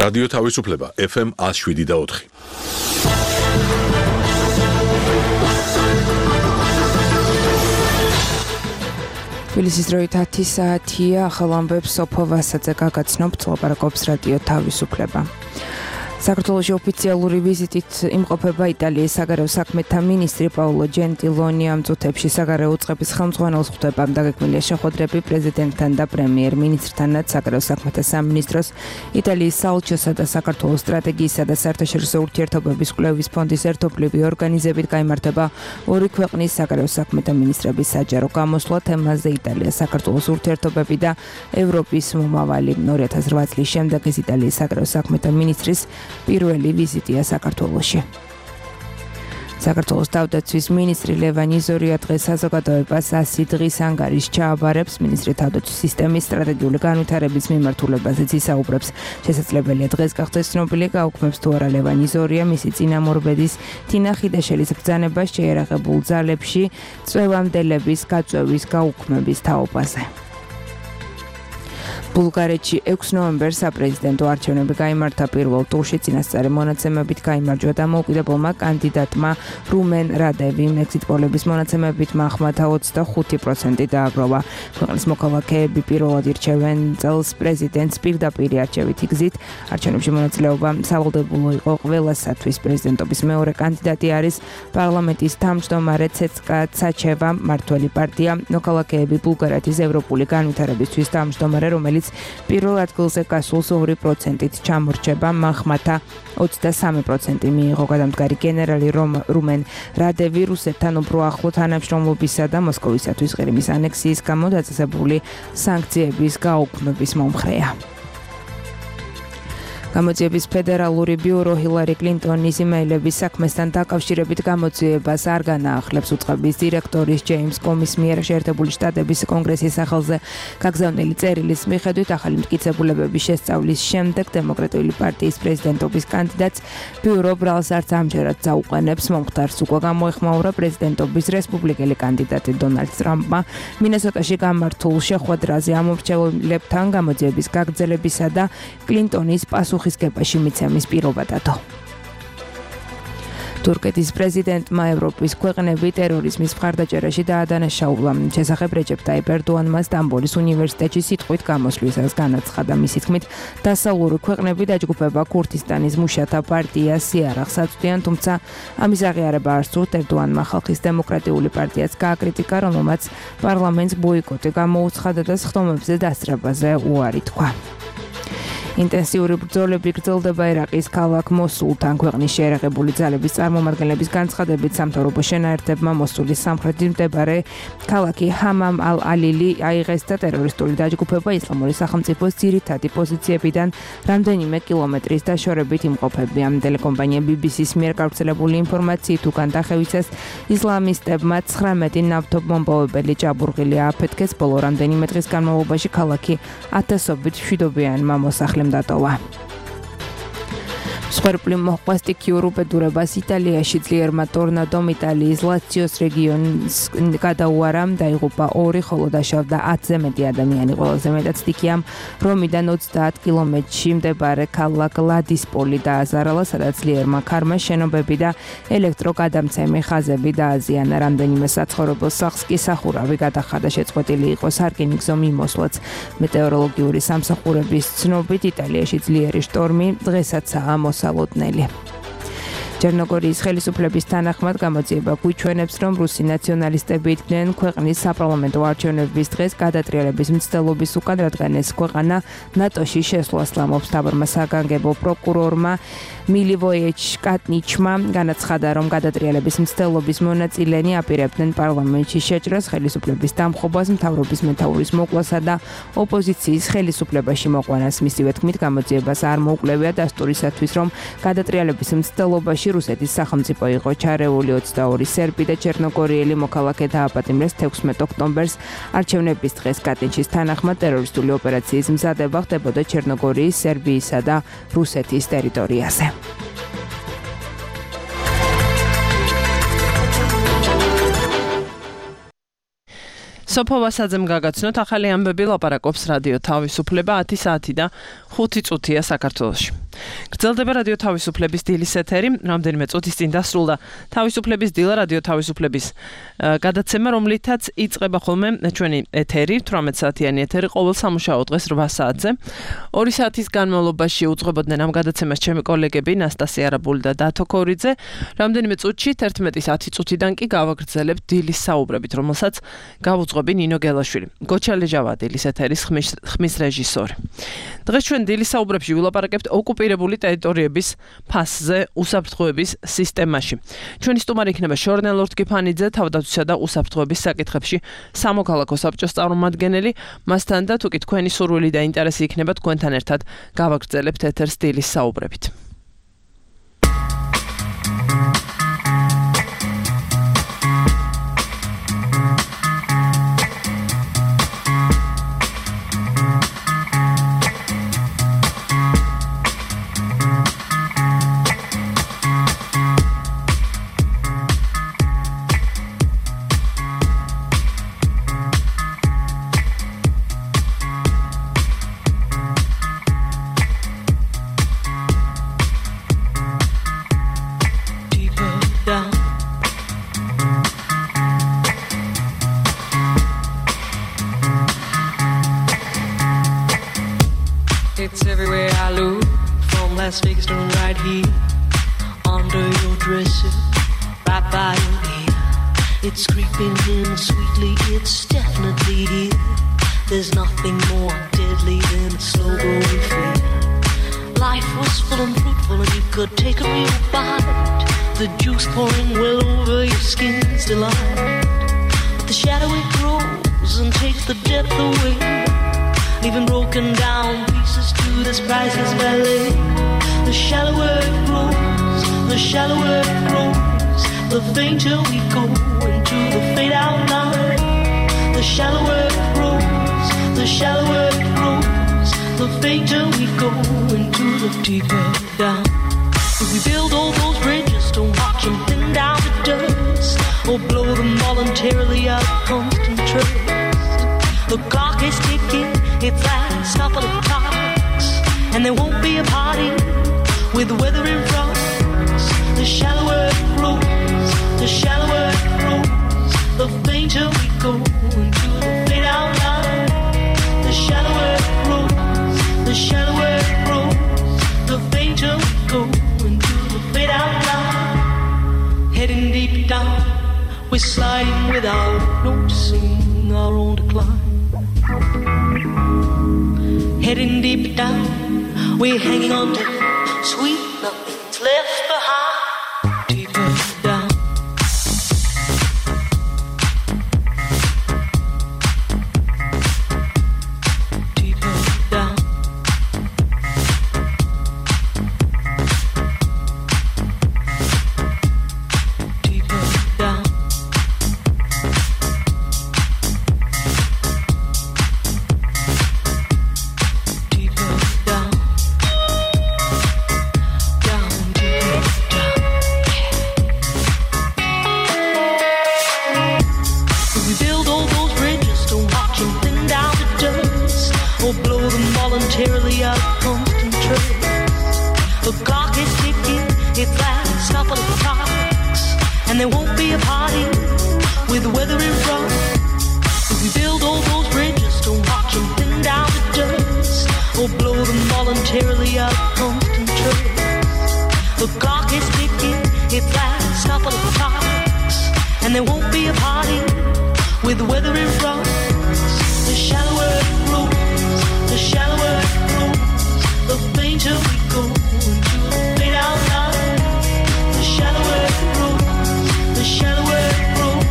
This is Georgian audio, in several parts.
რადიო თავისუფლება FM 107.4. თბილისის დროით 10 საათია, ახალ ამბებს სოფო ვასაძე გაგაცნობთ, ლაპარაკობს რადიო თავისუფლება. საქართველოში ოფიციალური ვიზიტით იმყოფება იტალიის საგარეო საქმეთა მინისტრი პაოლო ჯენტილონი. ამ წუთებში საგარეო უწყების ხელმძღვანელს ხვდება დაგეგმილია შეხვედრები პრეზიდენტთან და პრემიერ-მინისტრთანაც. საგარეო საქმეთა სამინისტროს, იტალიის საელჩოსა და საქართველოს სტრატეგიისა და საერთაშორისო ურთიერთობების კვლევის ფონდის ერთობლივი ორგანიზებით გაიმართება ორი ქვეყნის საგარეო საქმეთა მინისტრების საჯარო გამოსვლა. თემაზე იტალია საქართველოს ურთიერთობები და ევროპის მომავალი. 2008 წლის შემდეგ ეს იტალიის საგარეო საქმეთა მინისტრის პირველი ვიზიტია საქართველოში. საქართველოს თავდაცვის მინისტრი ლევან იზორია დღეს საზოგადოებას 100 დღის ანგარიშს ჩააბარებს. მინისტრი თავდაცვის სისტემის სტრატეგიული განვითარების მიმართულებაზეც ისაუბრებს. შესაძლებელია დღეს გახდეს ცნობილი, გაუქმებს თუ არა ლევან იზორია მისი წინამორბედის თინა ხიდაშელის ბრძანება შეიარაღებულ ძალებში წვევამდელების გაწვევის გაუქმების თაობაზე. ბულგარეთში 6 ნოემბერს საპრეზიდენტო არჩევნები გაიმართა. პირველ ტურში წინასწარი მონაცემებით გაიმარჯვა დამოუკიდებელმა კანდიდატმა რუმენ რადევიმ. ექსიტ პოლების მონაცემებით მახმათა 25% დააგროვა. ქვეყნის მოქალაქეები პირველად ირჩევენ წელს პრეზიდენტს პირდაპირი არჩევითი გზით. არჩევნებში მონაწილეობა სავალდებულო იყო ყველასათვის. პრეზიდენტობის მეორე კანდიდატი არის პარლამენტის თავმჯდომარე ცეცკა ცაჩევა. მმართველი პარტია მოქალაქეები ბულგარეთის ევროპული განვითარებისთვის თავმჯდომარე, რომელიც პირველ ადგილზე გასულს 2%-ით ჩამორჩება. მახმათა 23% მიიღო. გადამდგარი გენერალი რუმენ რადევი რუსეთთან უფრო ახლო თანამშრომლობისა და მოსკოვისათვის ყირიმის ანექსიის გამო დაწესებული სანქციების გაუქმების მომხრეა. გამოძიების ფედერალური ბიურო ჰილარი კლინტონის იმეილების საქმესთან დაკავშირებით გამოძიებას არ განაახლებს. უწყების დირექტორის ჯეიმს კომის მიერ შეერთებული შტატების კონგრესის სახელზე გაგზავნილი წერილის მიხედვით ახალი მტკიცებულებების შესწავლის შემდეგ დემოკრატიული პარტიის პრეზიდენტობის კანდიდატს ბიურო ბრალს არც ამჯერად წაუყენებს. მომხდარს უკვე გამოეხმაურა პრეზიდენტობის რესპუბლიკელი კანდიდატი დონალდ ტრამპმა მინესოტაში გამართულ შეხვედრაზე ამომრჩეველებთან გამოძიების გაგრძელებისა და კლინტონის პასუხისგებაში მიცემის პირობადადო. თურქეთის პრეზიდენტმა ევროპის ქვეყნები ტერორიზმის მხარდაჭერაში დაადანაშაულა. შესახებ რეჯეპ ტაიპ ერდოანმა სტამბოლის უნივერსიტეტში სიტყვით გამოსვლისას განაცხადა. მისი თქმით, დასავლური ქვეყნები დაჯგუფება ქურთისტანის მუშათა პარტიას იარაღს აწვდიან, თუმცა ამის აღიარება არ სურთ. ერდოანმა ხალხის დემოკრატიული პარტიას გააკრიტიკა, რომელმაც პარლამენტს ბოიკოტი გამოუცხადა და სხდომებზე დასწრებაზე უარი თქვა. ინტენსიური ბრძოლები გრძელდება ერაყის ქალაქ მოსულთან. ქვეყნის შეიარაღებული ძალების წარმომადგენლების განცხადებით, სამთავრობო შენაერთებმა მოსულის სამხრეთით მდებარე ქალაქი ჰამამ ალ-ალილი აიღეს და ტერორისტული დაჯგუფება ისლამური სახელმწიფოს ძირითადი პოზიციებიდან რამდენიმე კილომეტრის დაშორებით იმყოფებიან. ტელეკომპანია BBC-ს მიერ გავრცელებული ინფორმაციით, უკან დახევისას ისლამისტებმა 19 ნავთობმომპოვებელი ჭაბურღილი ააფეთქეს. ბოლო რამდენიმე დღის განმავლობაში ქალაქი ათასობით მშვიდობიანმა მოსახლემ დატოვა. მსხვერპლი მოჰყვა სტიქიურ უბედურებას იტალიაში. ძლიერმა ტორნადომ იტალიის ლაციოს რეგიონს გადაუარა, დაიღუპა 2, ხოლო დაშავდა 10-ზე მეტი ადამიანი. ყველაზე მეტად სტიქიამ რომიდან 30 კილომეტრში მდებარე ქალაქ ლადისპოლი დააზარალა, სადაც ძლიერმა ქარმა შენობები და ელექტროგადამცემი ხაზები დააზიანა. რამდენიმე საცხოვრებელ სახლს კი სახურავი გადახადა. შეწყვეტილი იყო სარკინიგზო მიმოსვლაც. მეტეოროლოგიური სამსახურების ცნობით, იტალიაში ძლიერი შტორმი დღესაც-აა მოსალოდნელი. ჩერნოგორიის ხელისუფლების თანახმად გამოძიება გვიჩვენებს, რომ რუსი ნაციონალისტები იდგნენ ქვეყნის საპარლამენტო არჩევნების დღეს გადატრიალების მცდელობის უკან, რადგან ეს ქვეყანა ნატოში შესვლას ლამობს. მთავარმა საგანგებო პროკურორმა მილივოიეჩ კატნიჩმა განაცხადა, რომ გადატრიალების მცდელობის მონაწილენი აპირებდნენ პარლამენტში შეჭრას, ხელისუფლების დამხობას, მთავრობის მეთაურის მოკლასა და ოპოზიციის ხელისუფლებაში მოყვანას. მისივე თქმით, გამოძიებას არ მოუკლევია დასტურისათვის, რომ გადატრიალების მცდელობაში რუსეთის სახელმწიფო იყო ჩარეული. 22 სერბი და ჩერნოგორიელი მოქალაქე დააპატიმრეს 16 ოქტომბერს. არჩევნების დღეს კატინჩის თანახმად ტერორისტული ოპერაციის მზადება ხდებოდა ჩერნოგორიის, სერბიისა და რუსეთის ტერიტორიაზე. სოფო ვასაძემ გაგაცნოთ ახალი ამბები ლაპარაკობს რადიო თავისუფლება 10 საათი და 5 წუთია საქართველოში. გრძელდება რადიო თავისუფლების დილის ეთერი, რამდენიმე წუთის წინ დასრულდა თავისუფლების დილა რადიო თავისუფლების გადაცემა, რომლითაც იწყება ხოლმე ჩვენი ეთერი, 18 საათიანი ეთერი ყოველ სამუშაო დღეს 8 საათზე. 2 საათის განმავლობაში უძღვებოდნენ ამ გადაცემას ჩემი კოლეგები ნასტასია არაბული და დათო ქორიძე. რამდენიმე წუთში 11-ის 10 წუთიდან კი გავაგრძელებთ დილის საუბრებით, რომელსაც გავუძღვები ნინო გელაშვილი. გოჩალეჟავა დილის ეთერის ხმის რეჟისორი. დღეს ჩვენ დილის საუბრებში ვილაპარაკებთ ოკუპირებული ტერიტორიების ფასზე უსაფრთხოების სისტემაში. ჩვენი სტუმარი იქნება შორნელ ორთქიფანიძე, თავდაცვისა და უსაფრთხოების საკითხებში სამოქალაქო საბჭოს წარმომადგენელი. მასთან და თუ კი თქვენი სურვილი და ინტერესი იქნება, თქვენთან ერთად გავაგრძელებთ ეთერს დილის საუბრებით. It's everywhere I look, from Las Vegas to right here, under your dresser, right by your ear. It's creeping in sweetly, it's definitely here. There's nothing more deadly than a slow-growing fear. Life was full and fruitful and you could take a real bite. The juice pouring well over your skin's delight. But the shadow it grows and takes the depth away, leaving broken down pieces to this priceless ballet. The shallower it grows, the shallower it grows, the fainter we go into the fade out line. The shallower it grows, the shallower it grows, the fainter we go into the deeper down. If we build all those bridges, don't watch them thin down to dust, or blow them voluntarily out of constant trust. The clock is ticking, its last couple of clocks, and there won't be a party with the weather in front. The shallower it grows, the shallower it grows, the fainter we go into the fade out line. The shallower it grows, the shallower it grows, the fainter we go into the fade out line. Heading deep down, we're sliding without noticing our own decline. Heading deep down, we're hanging on to sweet nothing's left behind. Deeper down. Deeper down. Deeper down. Voluntarily out of constant trust. The clock is ticking, its last couple of clocks, and there won't be a party with the weather in front. If we build all those bridges, don't watch them thin down to dust, or blow them voluntarily out of constant trust. The clock is ticking, its last couple of clocks, and there won't be a party with the weather in front. The shallower it grows, the shallower it grows, the fainter we go into the fade out line. The shallower it grows, the shallower it grows,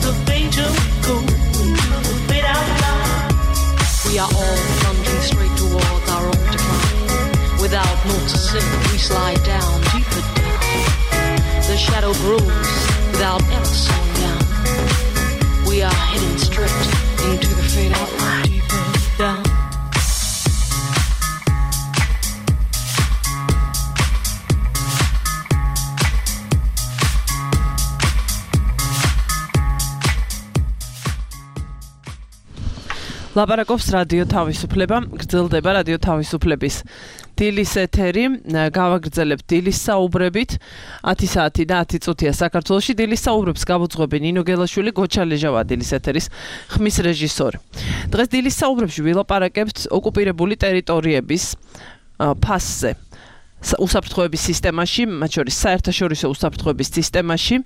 the fainter we go into the fade out line. We are all plunging straight towards our own decline. Without noticing, we slide down, deeper down. The shadow grows without ever slowing down. We are heading straight into the fade out line. Deeper down. ლაპარაკობს რადიო თავისუფლება, გრძელდება რადიო თავისუფლების დილის ეთერი, გავაგრძელებთ დილის საუბრებით 10 საათი და 10 წუთია საქართველოში. დილის საუბრებს გავუძღვები ნინო გელაშვილი, გოჩა ლეჟავა დილის ეთერის ხმის რეჟისორი. დღეს დილის საუბრებში ვილაპარაკებთ ოკუპირებული ტერიტორიების ფასზე. უსაფრთხოების სისტემაში, მათ შორის საერთაშორისო უსაფრთხოების სისტემაში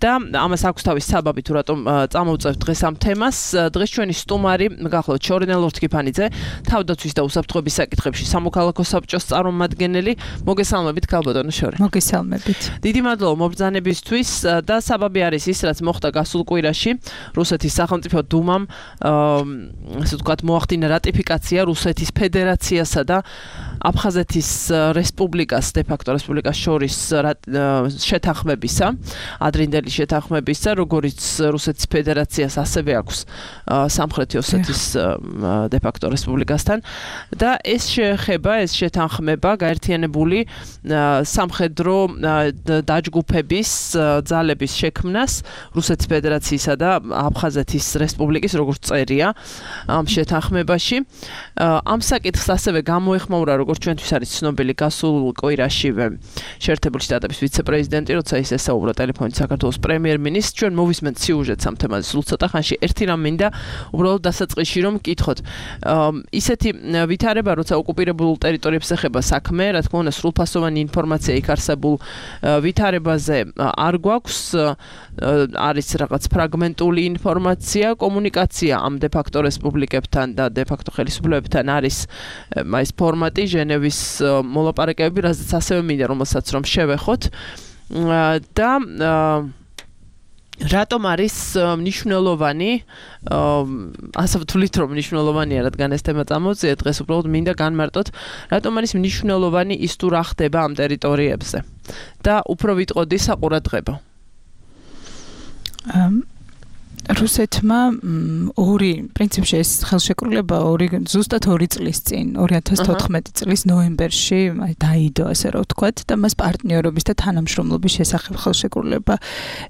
და ამას აქვს თავის საბაბი თუ რატომ წამოვწევთ დღეს ამ თემას. დღეს ჩვენი სტუმარი გახლავთ შორენა ლორთქიფანიძე, თავდაცვის და უსაფრთხოების საკითხებში სამოქალაქო საბჭოს წარმომადგენელი. მოგესალმებით ქალბატონო შორე. მოგესალმებით. დიდი მადლობა მობრძანებისთვის და საბაბი არის ის, რაც მოხდა გასულ კვირაში. რუსეთის სახელმწიფო დუმამ ასე ვთქვათ მოახდინა რატიფიკაცია რუსეთის ფედერაციასა და აფხაზეთის რესპუბლიკას, დე-ფაქტო რესპუბლიკას შორის შეთანხმებისა, ადრინდელი შეთანხმებისა, როგორც რუსეთის ფედერაციას ასევე აქვს სამხრეთი ოსეთის დე-ფაქტო რესპუბლიკასთან და ეს შეეხება, ეს შეთანხმება გაერთიანებული სამხედრო დაჯგუფების ძალების შექმნას რუსეთის ფედერაციისა და აფხაზეთის რესპუბლიკის როგორც წერია ამ შეთანხმებაში. ამ საკითხს ასევე გამოეხმაურა როგორც ჩვენთვის არის ცნობილი გასულ კვირაშივე შეერთებული შტატების ვიცე-პრეზიდენტი, როცა ის ესაუბრა ტელეფონით საქართველოს პრემიერ-მინისტრს. ჩვენ მოვისმენთ სიუჟეტს ამ თემაზე სულ ცოტა ხანში. ერთი რამ მინდა უბრალოდ დასაწყისში რომ მკითხოთ. ისეთი ვითარება, როცა ოკუპირებულ ტერიტორიებს ეხება საქმე, რა თქმა უნდა, სრულფასოვანი ინფორმაცია იქ არსებულ ვითარებაზე არ გვაქვს. არის რაღაც ფრაგმენტული ინფორმაცია, კომუნიკაცია ამ დე-ფაქტო რესპუბლიკებთან და დე-ფაქტო ხელისუფლებებთან არის ეს ფორმატი ჟენევის მოლაპარაკებები, რაზეც ასევე მინდა რომელსაც რომ შევეხოთ და რატომ არის მნიშვნელოვანი ასე ვთვლით რომ მნიშვნელოვანია, რადგან ეს თემა წამოვწია დღეს უბრალოდ მინდა განმარტოთ რატომ არის მნიშვნელოვანი ის თუ რა ხდება ამ ტერიტორიებზე და უფრო ვიტყოდი საყურადღებო. რუსეთმა პრინციპში ეს ხელშეკრულება ზუსტად 2 წლის წინ 2014 წლის ნოემბერში დაიდო, ასე რომ ვთქვათ, და მას პარტნიორობის და თანამშრომლობის შესახებ ხელშეკრულება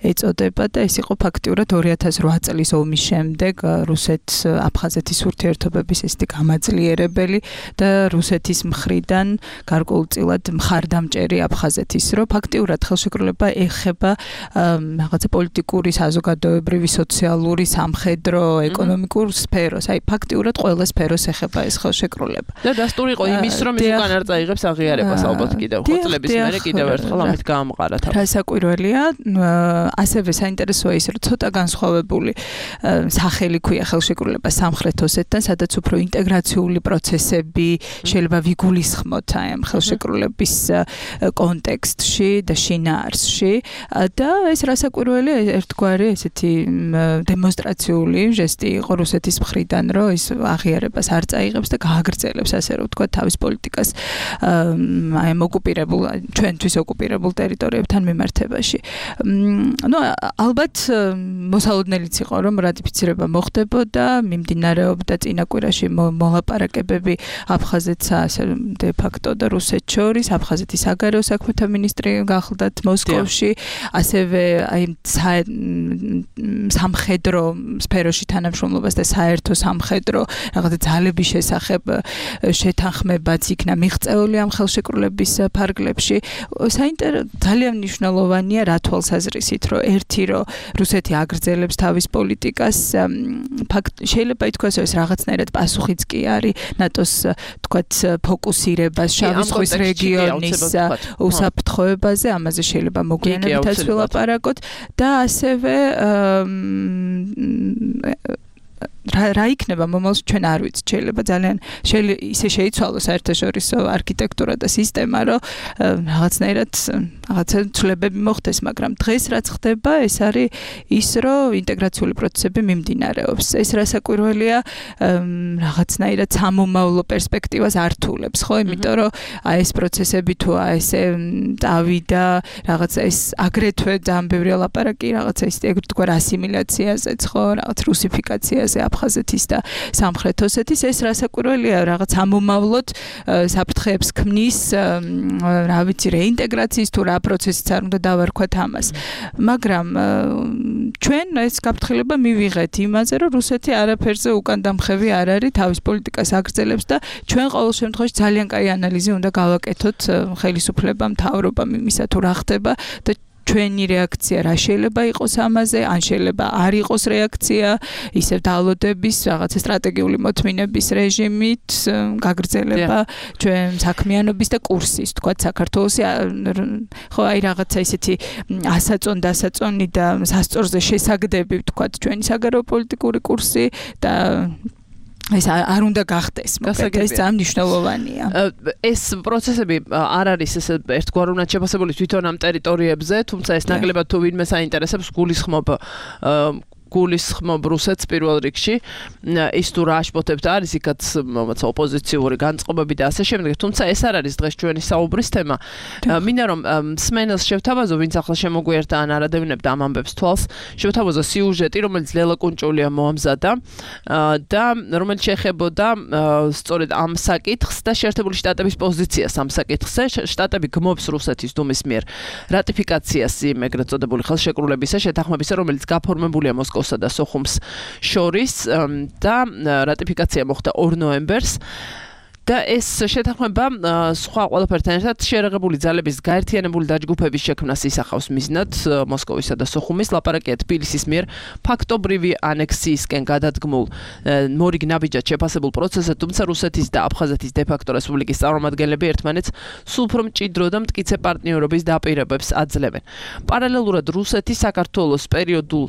ეწოდება და ეს იყო ფაქტიურად 2008 წლის ომის შემდეგ რუსეთ-აფხაზეთის ურთიერთობების ესეთი გამაძლიერებელი და რუსეთის მხრიდან გარკვეულწილად მხარდამჭერი აფხაზეთის, რომ ფაქტიურად ხელშეკრულება ეხება რაღაცა პოლიტიკური, საზოგადოებრივი, სოციალური, სამხედრო, ეკონომიკურ სფეროს. აი ფაქტიურად ყველა სფეროს ეხება ეს ხელშეკრულება. და დასტური იყო იმის, რომ ის უკან არ წაიღებს აღიარებას ალბათ კიდევ. ხუთლების მერე კიდევ ერთხელ ამით გაამყარა თავი. რა საკვირველია, ასევე საინტერესოა ის, რომ ცოტა განსხვავებული სახელი ქვია ხელშეკრულება სამხრეთ ოსეთთან, სადაც უფრო ინტეგრაციული პროცესები შეიძლება ვიგულისხმოთ აი ამ ხელშეკრულების კონტექსტში და შინაარსში და ეს რა საკვირველია, ერთგვარი ესეთი დემონსტრაციული ჟესტი იყო რუსეთის მხრიდან, რომ ის აღიარებას არ წაიღებს და გააგრძელებს, ასე რომ ვთქვათ, თავის პოლიტიკას აი ამ ოკუპირებულ, ჩვენთვის ოკუპირებულ ტერიტორიებთან მიმართებაში. ალბათ მოსალოდნელიც იყო, რომ რატიფიცირება მოხდებოდა, მიმდინარეობდა წინა კვირაში მოლაპარაკებები აფხაზეთსა, ასე დე-ფაქტო და რუსეთს შორის, აფხაზეთის საგარეო საქმეთა მინისტრი გახლდათ მოსკოვში, ასევე აი სამხედრო სფეროში თანამშრომლობას და საერთო სამხედრო რაღაცა ძალების შესახებ შეთანხმებაც იქნა მიღწეული ამ ხელშეკრულების ფარგლებში. ძალიან მნიშვნელოვანია რა თვალსაზრისით, რომ ერთი რომ რუსეთი აგრძელებს თავის პოლიტიკას, შეიძლება ითქვას, რომ ეს რაღაცნაირად პასუხიც კი არის ნატოს თქვათ ფოკუსირებას შავი ზღვის რეგიონის უსაფრთხოებაზე, ამაზე შეიძლება მოგვიანებითაც ვილაპარაკოთ და ასევე რა იქნება მომავალში ჩვენ არ ვიცით, შეიძლება ძალიან ისე შეიცვალოს საერთაშორისო არქიტექტურა და სისტემა, რომ რაღაცნაირად რაღაცა ცვლილებები მოხდეს, მაგრამ დღეს რაც ხდება, ეს არის ის, რომ ინტეგრაციული პროცესები მიმდინარეობს. ეს რასაკვირველია, რაღაცნაირად სამომავლო პერსპექტივას ართულებს, ხო? იმიტომ რომ აი ეს პროცესები თუ ესე წავიდა, რაღაცა ეს აგრეთვე ძალიან ბევრი ლაპარაკი რაღაცა ის ეგრეთგვარ ასიმილაციაზეც, ხო? რაღაც რუსიფიკაციაზე აფხაზეთის და სამხრეთ ოსეთის, ეს რასაკვირველია, რაღაც ამომავლოდ საფრთხეებს ქმნის, რა ვიცი, რეინტეგრაციის თუ რა რა პროცესიც არ უნდა დავარქვათ ამას. მაგრამ ჩვენ ეს გაფრთხილება მივიღეთ იმაზე, რომ რუსეთი არაფერზე უკან დამხევი არ არის, თავის პოლიტიკას აგრძელებს და ჩვენ ყოველ შემთხვევაში ძალიან კაი ანალიზი უნდა გავაკეთოთ ხელისუფლებამ, მთავრობამ იმისა თუ რა ხდება და ჩვენი რეაქცია რა შეიძლება იყოს ამაზე, ან შეიძლება არ იყოს რეაქცია, ისევ დალოდების, რაღაცა სტრატეგიული მოთმინების რეჟიმით გაგრძელება ჩვენ საქმიანობის და კურსის, თქვათ საქართველოსი ხო აი რაღაცა ისეთი ასაწონ-დასაწონი და სასწორზე შესაგდები, თქვათ ჩვენი საგარეო პოლიტიკური კურსი და ეს არ უნდა გახდეს, მოკლედ ეს ძალიან მნიშვნელოვანია. ეს პროცესები არ არის ეს ერთგვაროვნად შეფასებული თვითონ ამ ტერიტორიებზე, თუმცა ეს ნაკლებად თუ ვინმე საინტერესებს გულისხმობ რუსეთს პირველ რიგში, ის თუ რა აშფოთებთ არის იქაც ოპოზიციური განწყობები და ასე შემდეგ, თუმცა ეს არ არის დღეს ჩვენი საუბრის თემა. მინდა რომ სმენელს შევთავაზო, ვინც ახლა შემოგვიერთა ან არადევნებდა ამ ამბებს თვალს, შევთავაზო სიუჟეტი, რომელიც ლელა კუნჭულია მოამზადა და რომელიც შეეხებოდა სწორედ ამ საკითხს და შეერთებული შტატების პოზიციას ამ საკითხზე. შტატები გმობს რუსეთის დუმის მიერ რატიფიკაციას იმ ეგრეთ წოდებული ხელშეკრულებისა შეთანხმებისა, რომელიც გაფორმებულია მოსკოვსა და სოხუმს შორის და რატიფიკაცია მოხდა 2 ნოემბერს. და ეს შეთანხმება სხვა ყველაფერთან ერთად შეერაღებული ძალების გაერთიანებული დაჯგუფების შექმნას ისახავს მიზნად მოსკოვისა და სოხუმის. ლაპარაკია თბილისის მიერ ფაქტობრივი ანექსიისკენ გადადგმულ მორიგ ნაბიჯად შეფასებულ პროცესზე, თუმცა რუსეთის და აფხაზეთის დე-ფაქტო რესპუბლიკის წარმომადგენლები ერთმანეთს სულ უფრო მჭიდრო და მტკიცე პარტნიორობის დაპირებებს აძლევენ. პარალელურად რუსეთი საქართველოს პერიოდულ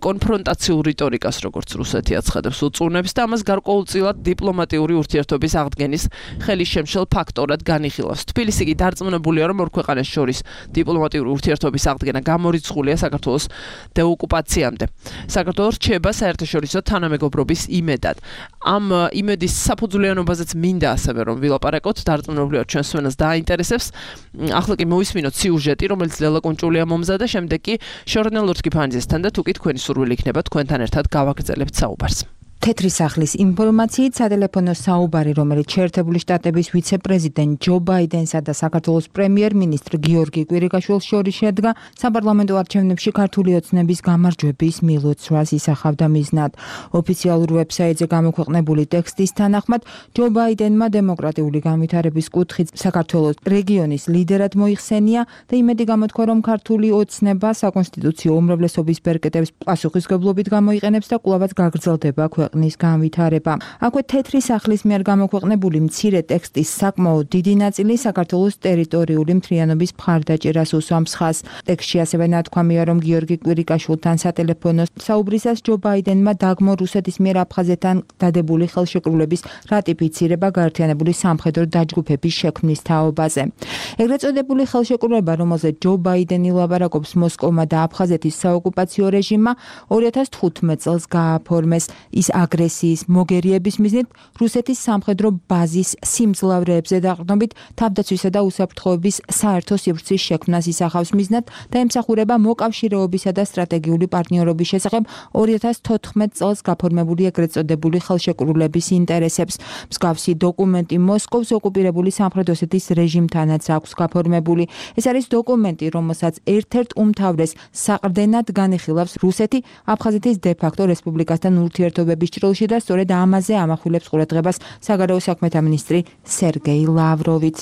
კონფრონტაციულ რიტორიკას, როგორც რუსეთი აცხადებს, უწუნებს და ამას გარკვეულწილად დიპლომატიური ურთიერთობის აღდგენის ხელის შემშელ ფაქტორად განიხილავს. თბილისი კი დარწმუნებულია, რომ ორ ქვეყანას შორის დიპლომატიური ურთიერთობის აღდგენა გამორიცხულია საქართველოს დეოკუპაციამდე. საქართველოს რჩება საერთაშორისო თანამეგობრობის იმედად. ამ იმედის საფუძვლიანობაზეც მინდა ასევე რომ ვილაპარაკოთ, დარწმუნებულია ჩვენ სვენას დააინტერესებს. ახლა კი მოვისმინოთ სიუჟეტი, რომელიც ლელა კუნჭულია მომზადა, შემდეგ კი ჟურნალ ლურსკიფანიძესთან და თუ კი თქვენი სურვილი იქნება, თქვენთან ერთად გავაგრძელებთ საუბარს. თეთრი სახლის ინფორმაციით სატელეფონო საუბარი, რომელიც შეერთებული შტატების ვიცე-პრეზიდენტ ჯო ბაიდენსა და საქართველოს პრემიერ-მინისტრ გიორგი კვირიკაშვილს შორის შედგა, საპარლამენტო არჩევნებში ქართული ოცნების გამარჯვების მილოცვას ისახავდა მიზნად. ოფიციალურ ვებსაიტზე გამოქვეყნებული ტექსტის თანახმად, ჯო ბაიდენმა დემოკრატიული განვითარების კუთხით საქართველოს რეგიონის ლიდერად მოიხსენია და იმედი გამოთქვა, რომ ქართული ოცნება საკონსტიტუციო უმრავლესობის ბერკეტებს პასუხისმგებლობით გამოიყენებს და კვლავაც გაგრძელდება ქვეყნის განვითარება. აქვე თეთრი სახლის მიერ გამოქვეყნებული მცირე ტექსტის საკმაოდ დიდი ნაწილი საქართველოს ტერიტორიული მთლიანობის მხარდაჭერას უსვამს ხაზს. ტექსტში ასევე ნათქვამია, რომ გიორგი კვირიკაშვილთან სატელეფონო საუბრისას ჯო ბაიდენმა დაგმო რუსეთის მიერ აფხაზეთთან დადებული ხელშეკრულების რატიფიცირება გაერთიანებული სამხედრო დაჯგუფების შექმნის თაობაზე. ეგრეთ წოდებული ხელშეკრულება, რომელზეც ჯო ბაიდენი ლაპარაკობს მოსკოვმა და აფხაზეთის საოკუპაციო რეჟიმმა 2015 წელს გააფორმეს. ის აგრესიის მოგერიების მიზნით რუსეთის სამხედრო ბაზის სიმძლავრეებზე დაყრდნობით თავდაცვისა და უსაფრთხოების საერთო სივრცის შექმნას ისახავს მიზნად და ემსახურება მოკავშირეობისა და სტრატეგიული პარტნიორობის შესახებ 2014 წელს გაფორმებული ეგრეთ წოდებული ხელშეკრულების ინტერესებს. მსგავსი დოკუმენტი მოსკოვს ოკუპირებული სამხრეთ ოსეთის რეჟიმთანაც აქვს გაფორმებული. ეს არის დოკუმენტი, რომელსაც ერთ-ერთ უმთავრეს საყრდენად განიხილავს რუსეთი აფხაზეთის დე-ფაქტო რესპუბლიკასთან ურთიერთობების ჭრილში და სწორედ ამაზე ამახვილებს ყურადღებას საგარეო საქმეთა მინისტრი სერგეი ლავროვიც.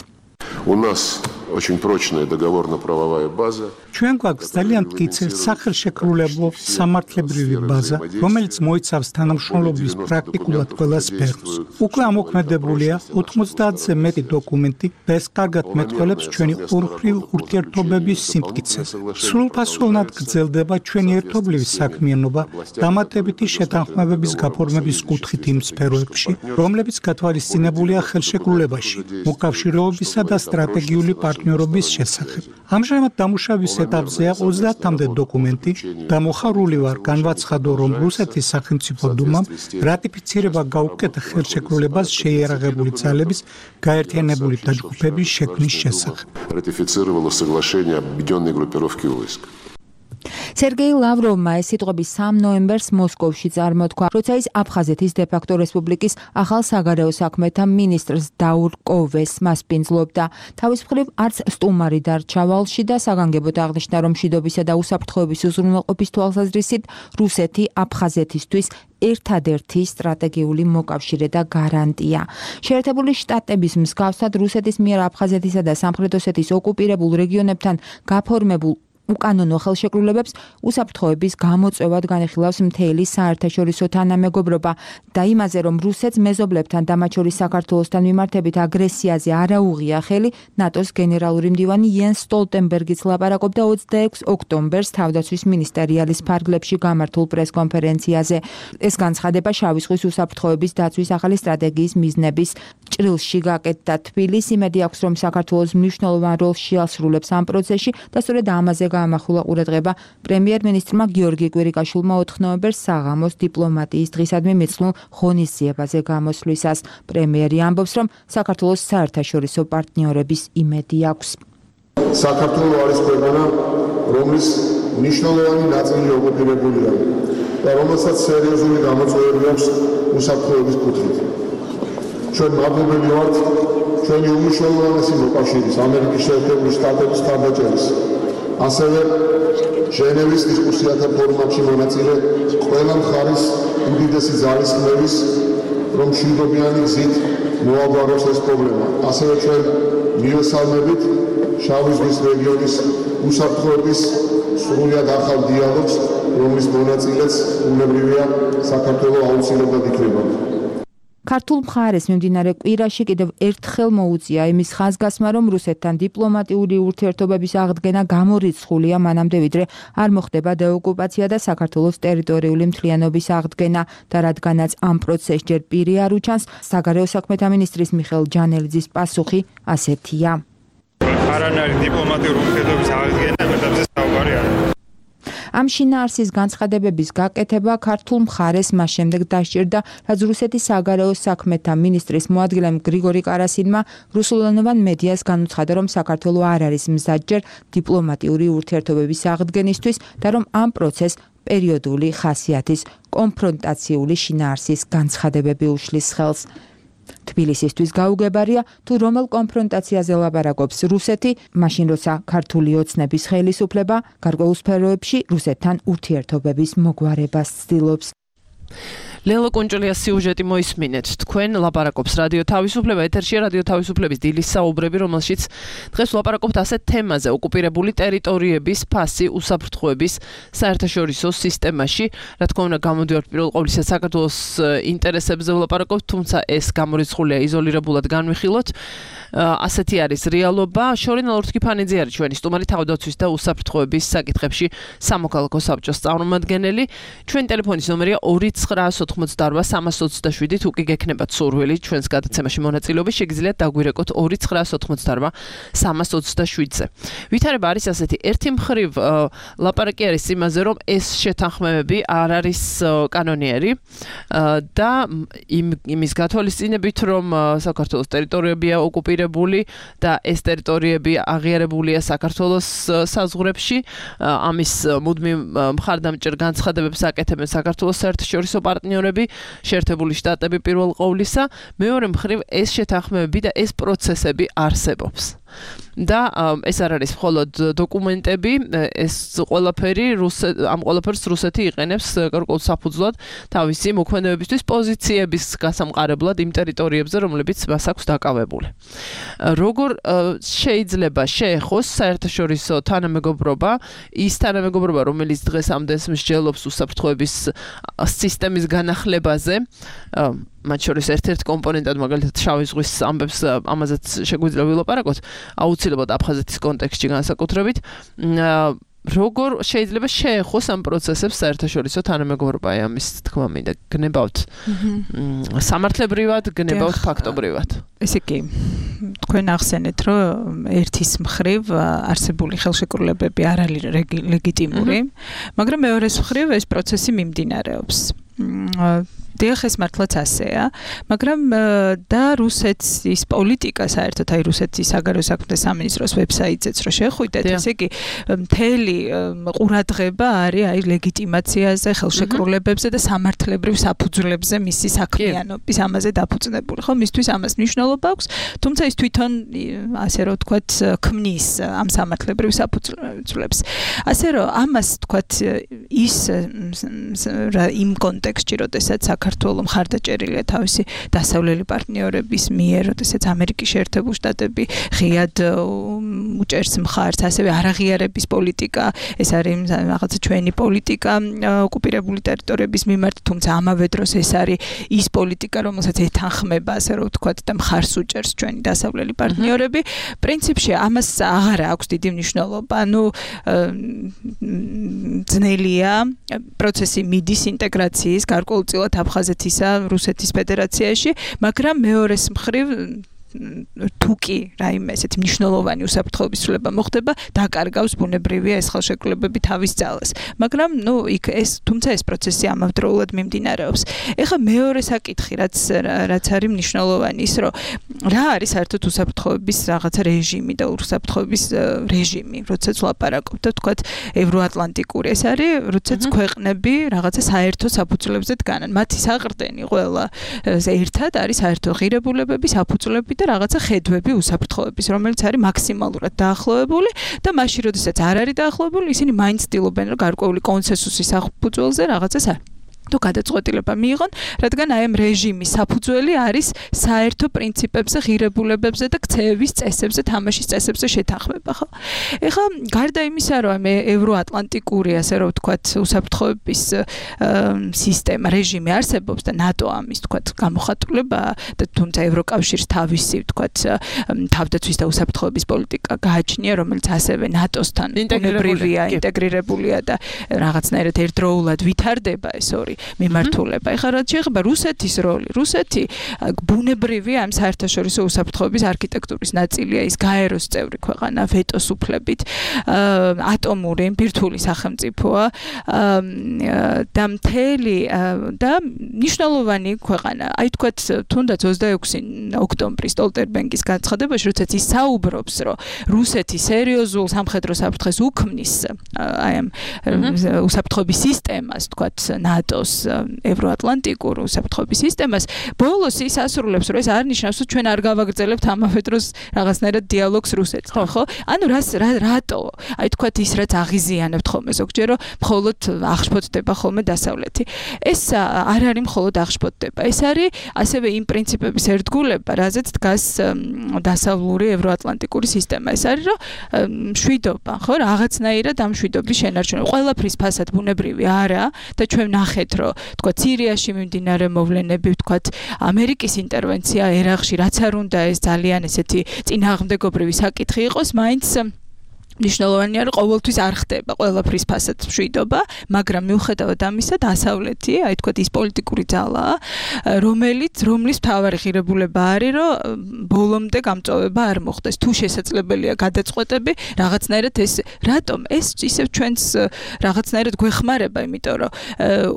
У нас очень прочная договорно-правовая база. ჩვენ გვაქვს ძალიან მტკიცე სახელშეკრულებო სამართლებრივი ბაზა, რომელიც მოიცავს თანამშრომლობის პრაქტიკულად ყველა სფეროს. უკვე ამოქმედებულია 90-ზე მეტი დოკუმენტი და ეს კარგად მეტყველებს ჩვენი ორმხრივ ურთიერთობების სიმტკიცეს. სრულფასოვნად გრძელდება ჩვენი ერთობლივი საქმიანობა დამატებითი შეთანხმებების გაფორმების კუთხით იმ სფეროებში, რომლებიც გათვალისწინებულია ხელშეკრულებაში, მოკავშირეობისა და სტრატეგიული პარტნიორობის შესახებ. ამჟამად დამუშავების ეტაპზეა 30-მდე დოკუმენტი და მოხარული ვარ განვაცხადო, რომ რუსეთის სახელმწიფო დუმამ რატიფიცირება გაუკეთა ხელშეკრულებას შეიარაღებული ძალების გაერთიანებული დაჯგუფების შექმნის შესახებ. Ратифицировало соглашение объединенной группировки войск. სერგეი ლავროვმა ეს სიტყვები 3 ნოემბერს მოსკოვში წარმოთქვა, როცა ის აფხაზეთის დე-ფაქტო რესპუბლიკის ახალ საგარეო საქმეთა მინისტრს დაურ კოვეს მასპინძლობდა. თავის მხრივ არც სტუმარი დარჩა ვალში და საგანგებოდ აღნიშნა, რომ მშვიდობისა და უსაფრთხოების უზრუნველყოფის თვალსაზრისით რუსეთი აფხაზეთისთვის ერთადერთი სტრატეგიული მოკავშირე და გარანტია. შეერთებული შტატების მსგავსად რუსეთის მიერ აფხაზეთისა და სამხრეთ ოსეთის ოკუპირებულ რეგიონებთან გაფორმებულ უკანონო ხელშეკრულებებს უსაფრთხოების გამოწვევად განიხილავს მთელი საერთაშორისო თანამეგობრობა და იმაზე, რომ რუსეთს მეზობლებთან და მათ შორის საქართველოსთან მიმართებით აგრესიაზე არ აუღია ხელი, ნატოს გენერალური მდივანი იენს სტოლტენბერგიც ლაპარაკობდა 26 ოქტომბერს თავდაცვის მინისტერიალის ფარგლებში გამართულ პრესკონფერენციაზე. ეს განცხადება შავი ზღვის უსაფრთხოების დაცვის ახალი სტრატეგიის მიზნების ჭრილში გაკეთდა. თბილისი იმედი აქვს, რომ საქართველოს მნიშვნელოვან როლს შეასრულებს ამ პროცესში და სწორედ ამაზე გამახვილა ყურადღება პრემიერ-მინისტრმა გიორგი კვირიკაშვილმა 4 ნოემბერს საღამოს დიპლომატიის დღისადმი მიცნულ ღონისძიებაზე გამოსვლისას. პრემიერი ამბობს, რომ საქართველოს საერთაშორისო პარტნიორების იმედი აქვს. საქართველო არის ქვეყანა, რომლის მნიშვნელოვანი ნაწილი ოკუპირებულია და რომელსაც სერიოზული გამოწვევები აქვს უსაფრთხოების კუთხით. ჩვენ მადლობელი ვართ ჩვენი უმნიშვნელოვანესი მოკავშირის ამერიკის შეერთებული შტატების მხარდაჭერის, ასევე ჟენევის დისკუსიათა ფორმატში მონაწილე ყველა მხარის უდიდესი ძალისხმევის, რომ მშვიდობიანი გზით მოაგვაროს ეს პრობლემა. ასევე ჩვენ მივესალმებით შავი ზღვის რეგიონის უსაფრთხოების სრულიად ახალ დიალოგს, რომლის მონაწილეც უნებრივია საქართველოს აუცილებლად იქნება. ქართულ მხარეს მიმდინარე კვირაში კიდევ ერთხელ მოუწია იმის ხაზგასმა, რომ რუსეთთან დიპლომატიური ურთიერთობების აღდგენა გამორიცხულია მანამდე, ვიდრე არ მოხდება დეოკუპაცია და საქართველოს ტერიტორიული მთლიანობის აღდგენა და რადგანაც ამ პროცესს ჯერ პირი არ უჩანს, საგარეო საქმეთა მინისტრის მიხეილ ჯანელიძის პასუხი ასეთია. არანაირი დიპლომატიური ურთიერთობის აღდგენა მეტებზე საუბარი არ არის. ამ შინაარსის განცხადებების გაკეთება ქართულ მხარეს მას შემდეგ დასჭირდა, რაც რუსეთის საგარეო საქმეთა მინისტრის მოადგილემ გრიგორი კარასინმა რუსულენოვან მედიას განუცხადა, რომ საქართველო არ არის მზადჯერ დიპლომატიური ურთიერთობების აღდგენისთვის და რომ ამ პროცესს პერიოდული ხასიათის კონფრონტაციული შინაარსის განცხადებები უშლის ხელს. თბილისისთვის გაუგებარია, თუ რომელ კონფრონტაციაზე ლაპარაკობს რუსეთი, მაშინ როცა ქართული ოცნების ხელისუფლება გარკვეულ სფეროებში რუსეთთან ურთიერთობების მოგვარებას ცდილობს. ლელო კუნჭულიას სიუჟეტი მოისმინეთ. თქვენ ლაპარაკობს რადიო თავისუფლება, ეთერშია რადიო თავისუფლების დილის საუბრები, რომელშიც დღეს ვლაპარაკობთ ასეთ თემაზე: ოკუპირებული ტერიტორიების ფასი უსაფრთხოების საერთაშორისო სისტემაში. რა თქმა უნდა, გამოდივართ პირველ ყოვლისა საქართველოს ინტერესებზე ვლაპარაკობთ, თუმცა ეს გამორიცხულია იზოლირებულად განვიხილოთ. ასეთი არის რეალობა. შორინა ლორთქიფანიძე არის ჩვენი სტუმარი თავდაცვის და უსაფრთხოების საკითხებში სამოქალაქო საბჭოს წარმომადგენელი. ჩვენი ტელეფონის ნომერია 2988327. თუ კი გექნებათ სურვილი ჩვენს გადაცემაში მონაწილეობის, შეგიძლიათ დაგვირეკოთ 2988327-ზე. ვითარება არის ასეთი: ერთი მხრივ ლაპარაკი არის იმაზე, რომ ეს შეთანხმებები არ არის კანონიერი და იმის გათვალისწინებით, რომ საქართველოს ტერიტორიებია ოკუპირებული და ეს ტერიტორიები აღიარებულია საქართველოს საზღვრებში. ამის მუდმივ მხარდამჭერ განცხადებებს აკეთებენ საქართველოს საერთაშორისო პარტნიორები, შეერთებული შტატები პირველ ყოვლისა. მეორე მხრივ ეს შეთანხმებები და ეს პროცესები არსებობს. და ეს არ არის მხოლოდ დოკუმენტები, ეს ყველაფერი ამ ყველაფერს რუსეთი იყენებს გარკვეულ საფუძვლად თავისი მოქმედებისთვის პოზიციების გასამყარებლად იმ ტერიტორიებზე, რომლებიც მას აქვს დაკავებული. როგორ შეიძლება შეეხოს საერთაშორისო თანამეგობრობა, ის თანამეგობრობა, რომელიც დღეს ამდენს მსჯელობს უსაფრთხოების სისტემის განახლებაზე, მათ შორის ერთ-ერთ კომპონენტად მაგალითად შავი ზღვის ამბებს ამაზეც შეგვიძლია ვილაპარაკოთ, აუცილებლად აფხაზეთის კონტექსტში განსაკუთრებით. როგორ შეიძლება შეეხოს ამ პროცესებს საერთაშორისო თანამეგობრობა, ამის თქმა მინდა, გნებავთ სამართლებრივად, გნებავთ ფაქტობრივად. ესე კი, თქვენ ახსენეთ, რომ ერთის მხრივ არსებული ხელშეკრულებები არ არის ლეგიტიმური, მაგრამ მეორეს მხრივ ეს პროცესი მიმდინარეობს. დიახ, ეს მართლაც ასეა, მაგრამ და რუსეთის პოლიტიკა საერთოდ აი რუსეთის საგარეო საქმეთა სამინისტროს ვებსაიტზეც რო შეხვიდეთ, ესე იგი მთელი ყურადღება არის აი ლეგიტიმაციაზე, ხელშეკრულებებზე და სამართლებრივ საფუძვლებზე მისი საქმიანობის ამაზე დაფუძნებული, ხო? მისთვის ამას მნიშვნელობა აქვს, თუმცა ის თვითონ ასე რომ ვთქვათ, ქმნის ამ სამართლებრივ საფუძვლებს. ასე რომ ამას ვთქვათ ის იმ კონტექსტში, როდესაც საქართველოს მხარდაჭერილია თავისი დასავლელი პარტნიორების მიერ, როდესაც ამერიკის შეერთებული შტატები ღიად უჭერს მხარს, ასევე არაღიარების პოლიტიკა, ეს არის რაღაცა ჩვენი პოლიტიკა ოკუპირებული ტერიტორიების მიმართ, თუმცა ამავე დროს ეს არის ის პოლიტიკა, რომელსაც ეთანხმება, ასე რომ ვთქვათ, და მხარს უჭერს ჩვენი დასავლელი პარტნიორები. პრინციპში ამას აღარ აქვს დიდი მნიშვნელობა. ანუ ძნელია პროცესი მიდის ინტეგრაციის გარკვეულწილად აფხაზეთისა რუსეთის ფედერაციაში, მაგრამ მეორეს მხრივ თუკი რაიმე ესეთი მნიშვნელოვანი უსაფრთხოების ცვლილება მოხდება, დაკარგავს ბუნებრივია ეს ხელშეკრულებები თავის ძალას. მაგრამ თუმცა ეს პროცესი ამავდროულად მიმდინარეობს. ეხლა მეორე საკითხი, რაც არის მნიშვნელოვანი, ის რომ რა არის საერთოდ უსაფრთხოების რაღაცა რეჟიმი და უსაფრთხოების რეჟიმი, როდესაც ვლაპარაკობთ და თქვათ ევროატლანტიკური. ეს არის, როდესაც ქვეყნები რაღაცა საერთო საფუძვლებზე დგანან. მათი საყრდენი ყველა ერთად არის საერთო ღირებულებები, საფუძვლები და რაღაცა ხედვები უსაფრთხოების, რომელიც არის მაქსიმალურად დაახლოებული და მაშინ, როდესაც არ არის დაახლოებული, ისინი მაინც ცდილობენ, რომ გარკვეული კონსენსუსის საფუძველზე რაღაცას თუ გადაწყვეტილება მიიღონ, რადგან აი ამ რეჟიმის საფუძველი არის საერთო პრინციპებზე, ღირებულებებზე და ქცევის წესებზე, თამაშის წესებზე შეთანხმება, ხო? ეხლა გარდა იმისა, რომ ევროატლანტიკური, ასე რომ ვთქვათ, უსაფრთხოების სისტემა, რეჟიმი არსებობს და ნატო ამის, ვთქვათ, გამოხატულებაა და თუმცა ევროკავშირს თავისი, ვთქვათ, თავდაცვის და უსაფრთხოების პოლიტიკა გააჩნია, რომელიც ასევე ნატოსთან ინტეგრირებულია და რაღაცნაირად ერთდროულად ვითარდება ეს ორი მიმართულება. ეხლა რაც შეეხება რუსეთის როლი, რუსეთი ბუნებრივია ამ საერთაშორისო უსაფრთხოების არქიტექტურის ნაწილია, ის გაეროს წევრი ქვეყანა ვეტოს უფლებით, ატომური ბირთვული სახელმწიფოა და მთელი და მნიშვნელოვანი ქვეყანა. აი თქვათ, თუნდაც 26 ოქტომბრის სტოლტერბენგის განცხადებაში, როდესაც ის საუბრობს, რომ რუსეთი სერიოზულ სამხედრო საფრთხეს უქმნის აი ამ უსაფრთხოების სისტემას, თქვათ, ნატოს ევროატლანტიკურ უსაფრთხოების სისტემას, ბოლოს ის ასრულებს, რომ ეს არ ნიშნავს, რომ ჩვენ არ გავაგრძელებთ ამავე დროს რაღაცნაირად დიალოგს რუსეთთან, ხო? ანუ რატო? აი თქვათ ის რაც აღიზიანებთ ხოლმე ზოგჯერ, რომ მხოლოდ აღშფოთდება ხოლმე დასავლეთი. ეს არ არის მხოლოდ აღშფოთდება. ეს არის ასევე იმ პრინციპების ერთგულება, რაზეც დგას დასავლური ევროატლანტიკური სისტემა. ეს არის, რომ მშვიდობა, ხო? რაღაცნაირად ამ მშვიდობის შენარჩუნება. ყველაფრის ფასად ბუნებრივი არა და ჩვენ ნახეთ, რომ თქვა სირიაში მიმდინარე მოვლენები, თქვა ამერიკის ინტერვენცია ერაყში, რაც არ უნდა ეს ძალიან ესეთი წინააღმდეგობრივი საკითხი იყოს, მაინც ნიშნულოვანია, რომ ყოველთვის არ ხდება ყველაფრის ფასად მშვიდობა, მაგრამ მიუხედავად ამისა, დასავლეთი, აი თქვა ის პოლიტიკური ძალაა, რომლის მთავარი ღირებულება არის, რომ ბოლომდე გამწვავება არ მოხდეს. თუ შესაძლებელია გადაწყვეტები, რაღაცნაირად ეს რატომ ეს ისევ ჩვენს რაღაცნაირად გვეხმარება, იმიტომ რომ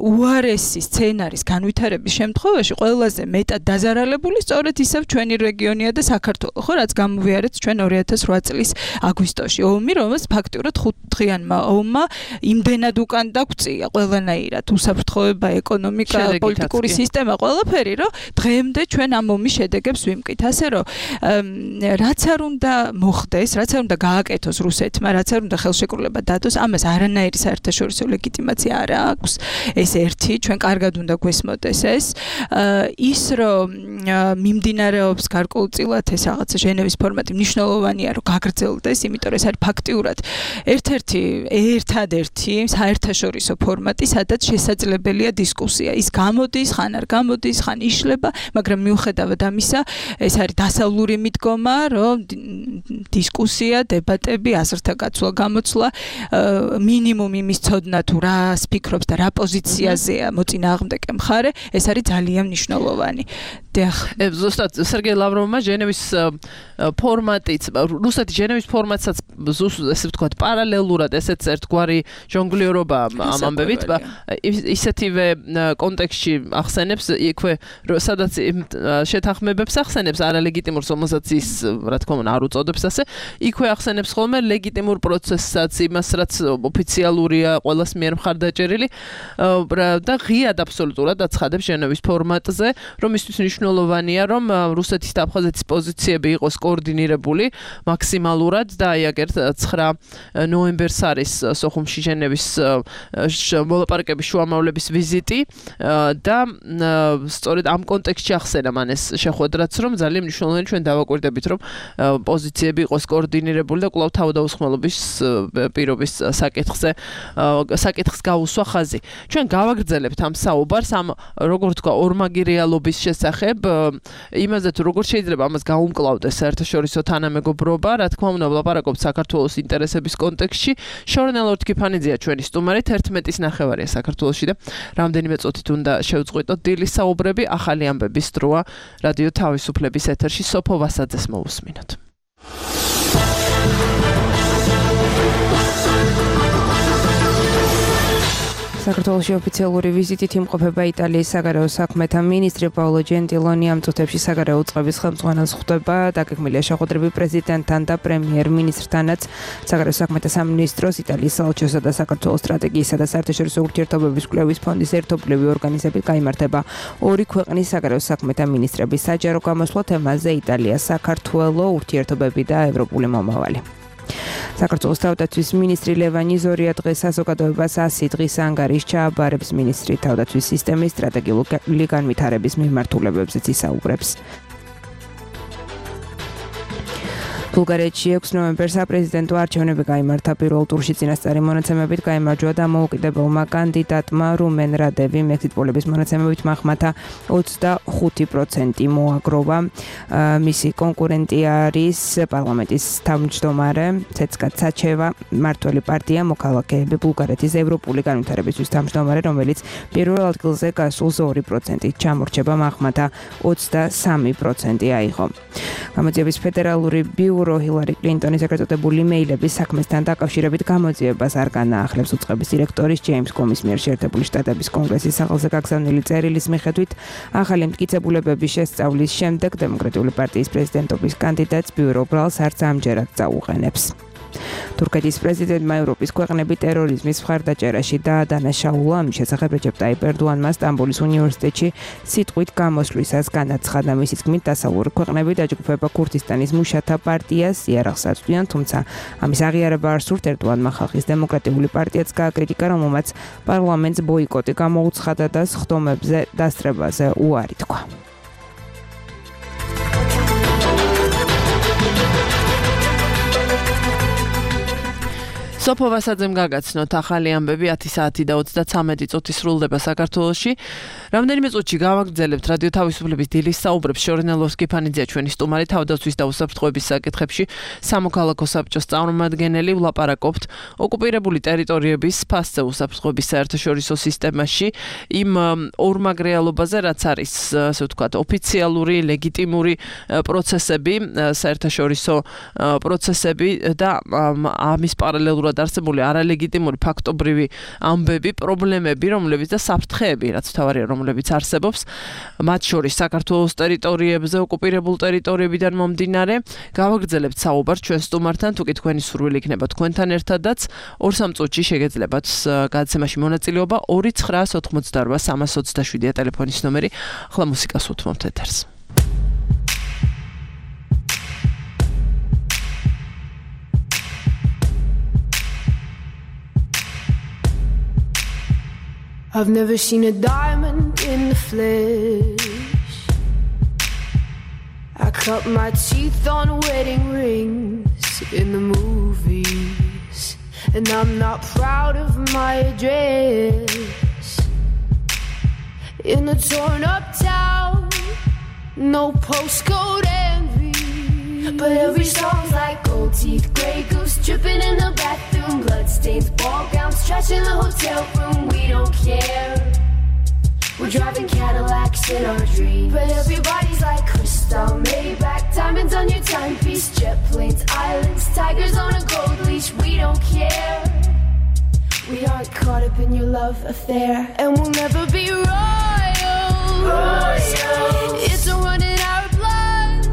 უარესი სცენარის განვითარების შემთხვევაში ყველაზე მეტად დაზარალებული სწორედ ისევ ჩვენი რეგიონია და საქართველო, ხო, რაც გამოვიარეთ ჩვენ 2008 წლის აგვისტოში. რომელიც ფაქტიურად 5 დღიანმა ომმა იმდენად უკან დაგვწია ყველანაირად უსაფრთხოება, ეკონომიკა, პოლიტიკური სისტემა, ყველაფერი, რომ დღემდე ჩვენ ამ ომის შედეგებს ვიმკით. ასე რომ რაც არ უნდა მოხდეს, რაც არ უნდა გააკეთოს რუსეთმა, რაც არ უნდა ხელშეკრულება დადოს, ამას არანაირი საერთაშორისო ლეგიტიმაცია არ აქვს. ეს ერთი, ჩვენ კარგად უნდა გვესმოდეს ეს. ის რომ მიმდინარეობს გარკვეულწილად ეს რაღაცა ჟენევის ფორმატი მნიშვნელოვანია, რომ გაგრძელდეს, იმიტომ რომ ეს არის ფაქტიურად ერთადერთი საერთაშორისო ფორმატი, სადაც შესაძლებელია დისკუსია. ის გამოდის, ხან არ გამოდის, ხან იშლება, მაგრამ მიუხედავად ამისა, ეს არის დასავლური მიდგომა, რომ დისკუსია, დებატები, აზრთა გაცვლა, გამოცვლა, მინიმუმ იმის ცოდნა თუ რას ფიქრობს და რა პოზიციაზეა მოწინააღმდეგე მხარე, ეს არის ძალიან მნიშვნელოვანი. ზუსტად სერგეი ლავროვმა ჟენევის ფორმატიც, რუსეთის ჟენევის ფორმატსაც ესე ვთქვათ, პარალელურად ესეც ერთგვარი ჟონგლიორობა ამ ამბებით, ისეთივე კონტექსტში ახსენებს იქვე, სადაც შეთანხმებებს ახსენებს არალეგიტიმურს, რომელსაც ის, რა თქმა უნდა, არ უწოდებს ასე, იქვე ახსენებს ხოლმე ლეგიტიმურ პროცესსაც, იმას, რაც ოფიციალურია, ყველას მიერ მხარდაჭერილი და ღიად აბსოლუტურად აცხადებს ჟენევის ფორმატზე, რომ ისთვის მნიშვნელოვანია, რომ რუსეთის და აფხაზეთის პოზიციები იყოს კოორდინირებული მაქსიმალურად და აი აგერ 9 ნოემბერს არის სოხუმში ჟენევის მოლაპარაკების შუამავლების ვიზიტი და სწორედ ამ კონტექსტში ახსენა მან ეს შეხვედრაც, რომ ძალიან მნიშვნელოვანია ჩვენ დავაკვირდებით, რომ პოზიციები იყოს კოორდინირებული და კვლავ თავდაუსხმელობის პირობის საკითხს გაუსვა ხაზი. ჩვენ გავაგრძელებთ ამ საუბარს, ამ როგორ თქვა, ორმაგი რეალობის შესახებ, იმაზე თუ როგორ შეიძლება ამას გაუმკლავდეს საერთაშორისო თანამეგობრობა, რა თქმა უნდა, ვლაპარაკობთ საქართველოს ინტერესების კონტექსტში. შორნელ ორთქიფანიძეა ჩვენი სტუმარი, 11:09 საქართველოში და რამდენიმე წუთით უნდა შევწყვიტოთ დილის საუბრები. ახალი ამბების დროა რადიო თავისუფლების ეთერში. სოფო ვასაძეს მოусმინოთ. საქართველოში ოფიციალური ვიზიტით იმყოფება იტალიის საგარეო საქმეთა მინისტრი პაოლო ჯენტილონი. ამ წუთებში საგარეო წყობის ხელმძღვანელს ხვდება დაგეგმილია შეხვედრები პრეზიდენტთან და პრემიერ-მინისტრთანაც. საგარეო საქმეთა სამინისტროს, იტალიის საელჩოსა და საქართველოს სტრატეგიისა და საერთაშორისო ურთიერთობების კვლევის ფონდის ერთობლივი ორგანიზებით გაიმართება ორი ქვეყნის საგარეო საქმეთა მინისტრების საჯარო გამოსვლა თემაზე იტალია, საქართველო, ურთიერთობები და ევროპული მომავალი. საქართველოს თავდაცვის მინისტრი ლევანი ზორია დღეს საზოგადოებას 100 დღის ანგარიშს ჩააბარებს. მინისტრი თავდაცვის სისტემის სტრატეგიული განვითარების მიმართულებებზეც ისაუბრებს. ბულგარეთში 6 ნოემბერს საპრეზიდენტო არჩევნები გაიმართა. პირველ ტურში წინასწარი მონაცემებით გაიმარჯვა დამოუკიდებელმა კანდიდატმა რუმენ რადევი. მექსით პოლების მონაცემებით მახმათა 25% მოაგროვა. მისი კონკურენტი არის პარლამენტის თავმჯდომარე ცეცკა ცაჩევა, მართველი პარტია მოქალაქეები, ბულგარეთის ევროპული განვითარებისთვის თავმჯდომარე, რომელიც პირველ ადგილზე გასულ 2%-ით ჩამორჩება, მახმათა 23% აიღო. გამოძიების ფედერალური ბიურო ჰილარი კლინტონის ეკრატებული მეილების საქმესთან დაკავშირებით გამოძიებას არ განაახლებს. უწყების დირექტორის ჯეიმს კომის მიერ შეერთებული შტატების კონგრესის სახელზე გაგზავნილი წერილის მიხედვით, ახალი მტკიცებულებების შესწავლის შემდეგ დემოკრატიული პარტიის პრეზიდენტობის კანდიდატს ბიურო ბრალს არც ამჯერად წაუყენებს. თურქეთის პრეზიდენტმა ევროპის ქვეყნები ტერორიზმის მხარდაჭერაში დაადანაშაულა. ამის შესახებ რეჯეპ ტაიპ ერდოანმა სტამბოლის უნივერსიტეტში სიტყვით გამოსვლისას განაცხადა. მისი თქმით, დასავლური ქვეყნები დაჯგუფება ქურთისტანის მუშათა პარტიას იარაღს აწვდიან, თუმცა ამის აღიარება არ სურთ. ერდოანმა ხალხის დემოკრატიული პარტიაც გააკრიტიკა, რომელმაც პარლამენტს ბოიკოტი გამოუცხადა და სხდომებზე დასწრებაზე უარი თქვა. სოფო ვასაძემ გაგაცნოთ ახალი ამბები 10 საათი და 33 წუთი სრულდება საქართველოში. რამდენიმე წუთში გავაგრძელებთ რადიო თავისუფლების დილის საუბრებს. შორნელ ორთქიფანიძეა ჩვენი სტუმარი, თავდაცვის და უსაფრთხოების საკითხებში სამოქალაქო საბჭოს წარმომადგენელი. ვლაპარაკობთ ოკუპირებული ტერიტორიების ფასზე უსაფრთხოების საერთაშორისო სისტემაში, იმ ორმაგ რეალობაზე, რაც არის, ასე ვთქვათ, ოფიციალური, ლეგიტიმური პროცესები, საერთაშორისო პროცესები და ამის პარალელურად არსებული არალეგიტიმური ფაქტობრივი ამბები, პრობლემები, რომლებიც და საფრთხეები, რაც თავარია, რომლებიც არსებობს, მათ შორის საქართველოს ტერიტორიებზე, ოკუპირებულ ტერიტორიებიდან მომდინარე. გავაგრძელებთ საუბარს ჩვენ სტუმართან, თუკი თქვენი სურვილი იქნება თქვენთან ერთადაც, 2-3 წუთში შეგეძლებათ გადაცემაში მონაწილეობა. 2988327 ტელეფონის ნომერი. ახლა მუსიკას უთმობთ ეთერს. I've never seen a diamond in the flesh. I cut my teeth on wedding rings in the movies, and I'm not proud of my address. In a torn up town, no postcode envy, but every song's like gold teeth, grey goose dripping in the bathroom, bloodstains, ball gowns, trash in the hotel room. We don't care. We're driving Cadillacs in our dreams, but everybody's like crystal, Maybach, Diamonds on your timepiece, jet planes, islands, tigers on a gold leash. We don't care. We aren't caught up in your love affair, and we'll never be royals. It's a run in our blood.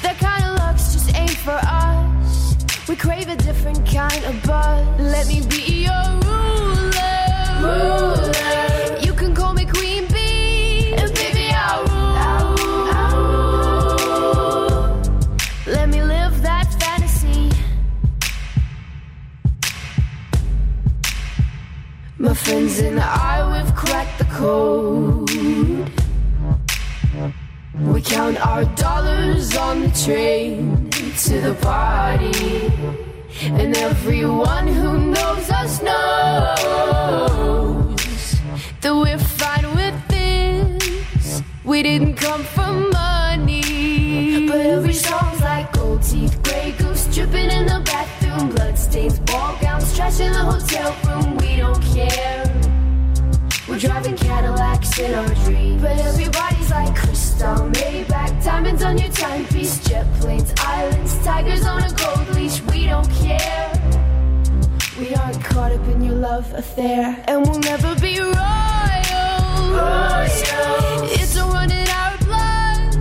That kind of luck's just ain't for us. We crave a different kind of buzz. Let me be your ruler. You can call me Queen Bee, and baby I'll rule. Let me live that fantasy. My friends and I, we've cracked the code. We count our dollars on the train to the party, and everyone who knows us knows that we're fine with this. We didn't come from money, but every song's like gold teeth, grey goose dripping in the bathroom, bloodstains, ball gowns, trash in the hotel room. We don't care. We're driving Cadillacs in our dreams, but everybody's like crystal, Maybach, diamonds on your timepiece, jet planes, islands, tigers on a gold leash. We don't care. We aren't caught up in your love affair, and we'll never be royals. It's a run in our blood.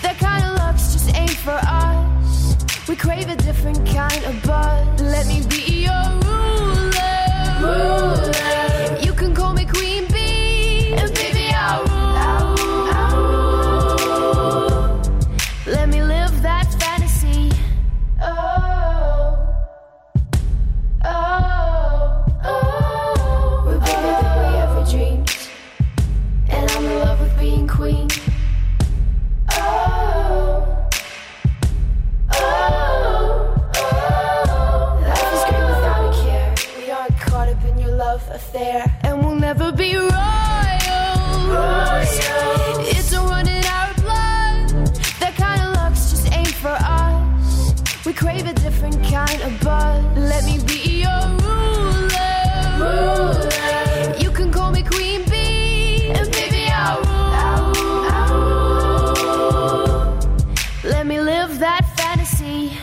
That kind of luck's just ain't for us. We crave a different kind of buzz. Let me be your ruler. You can call me Queen Bee, and baby I'll rule. Let me live that fantasy. Oh, we're bigger than we ever dreamed, and I'm in love with being queen. Life is great without a care. We aren't caught up in your love affair, and we'll never be royals. It's a run in our blood. That kind of luck's just ain't for us. We crave a different kind of buzz. Let me be your ruler. You can call me Queen Bee, and baby I'll rule. Let me live that fantasy.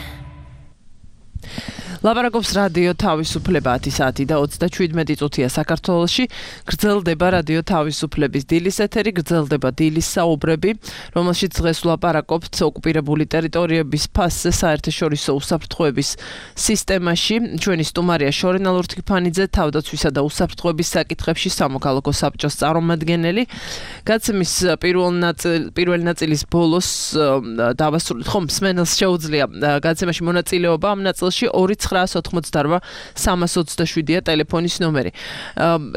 ლაპარაკობს რადიო თავისუფლება 10 საათი და 37 წუთია საქართველოში. გრძელდება რადიო თავისუფლების დილის ეთერი, გრძელდება დილის საუბრები, რომელშიც დღეს ვლაპარაკობთ ოკუპირებული ტერიტორიების ფასზე საერთაშორისო უსაფრთხოების სისტემაში. ჩვენი სტუმარია შორენა ლურთქიფანიძე, თავდაცვისა და უსაფრთხოების საკითხებში სამოქალაქო საბჭოს წარმომადგენელი. გაცემის პირველი ნაწილის ბოლოს დავასრულეთ, ხომ მსმენელს შეუძლია გაცემაში მონაწილეობა, ამ ნაწილში 2-988 327-ია ტელეფონის ნომერი.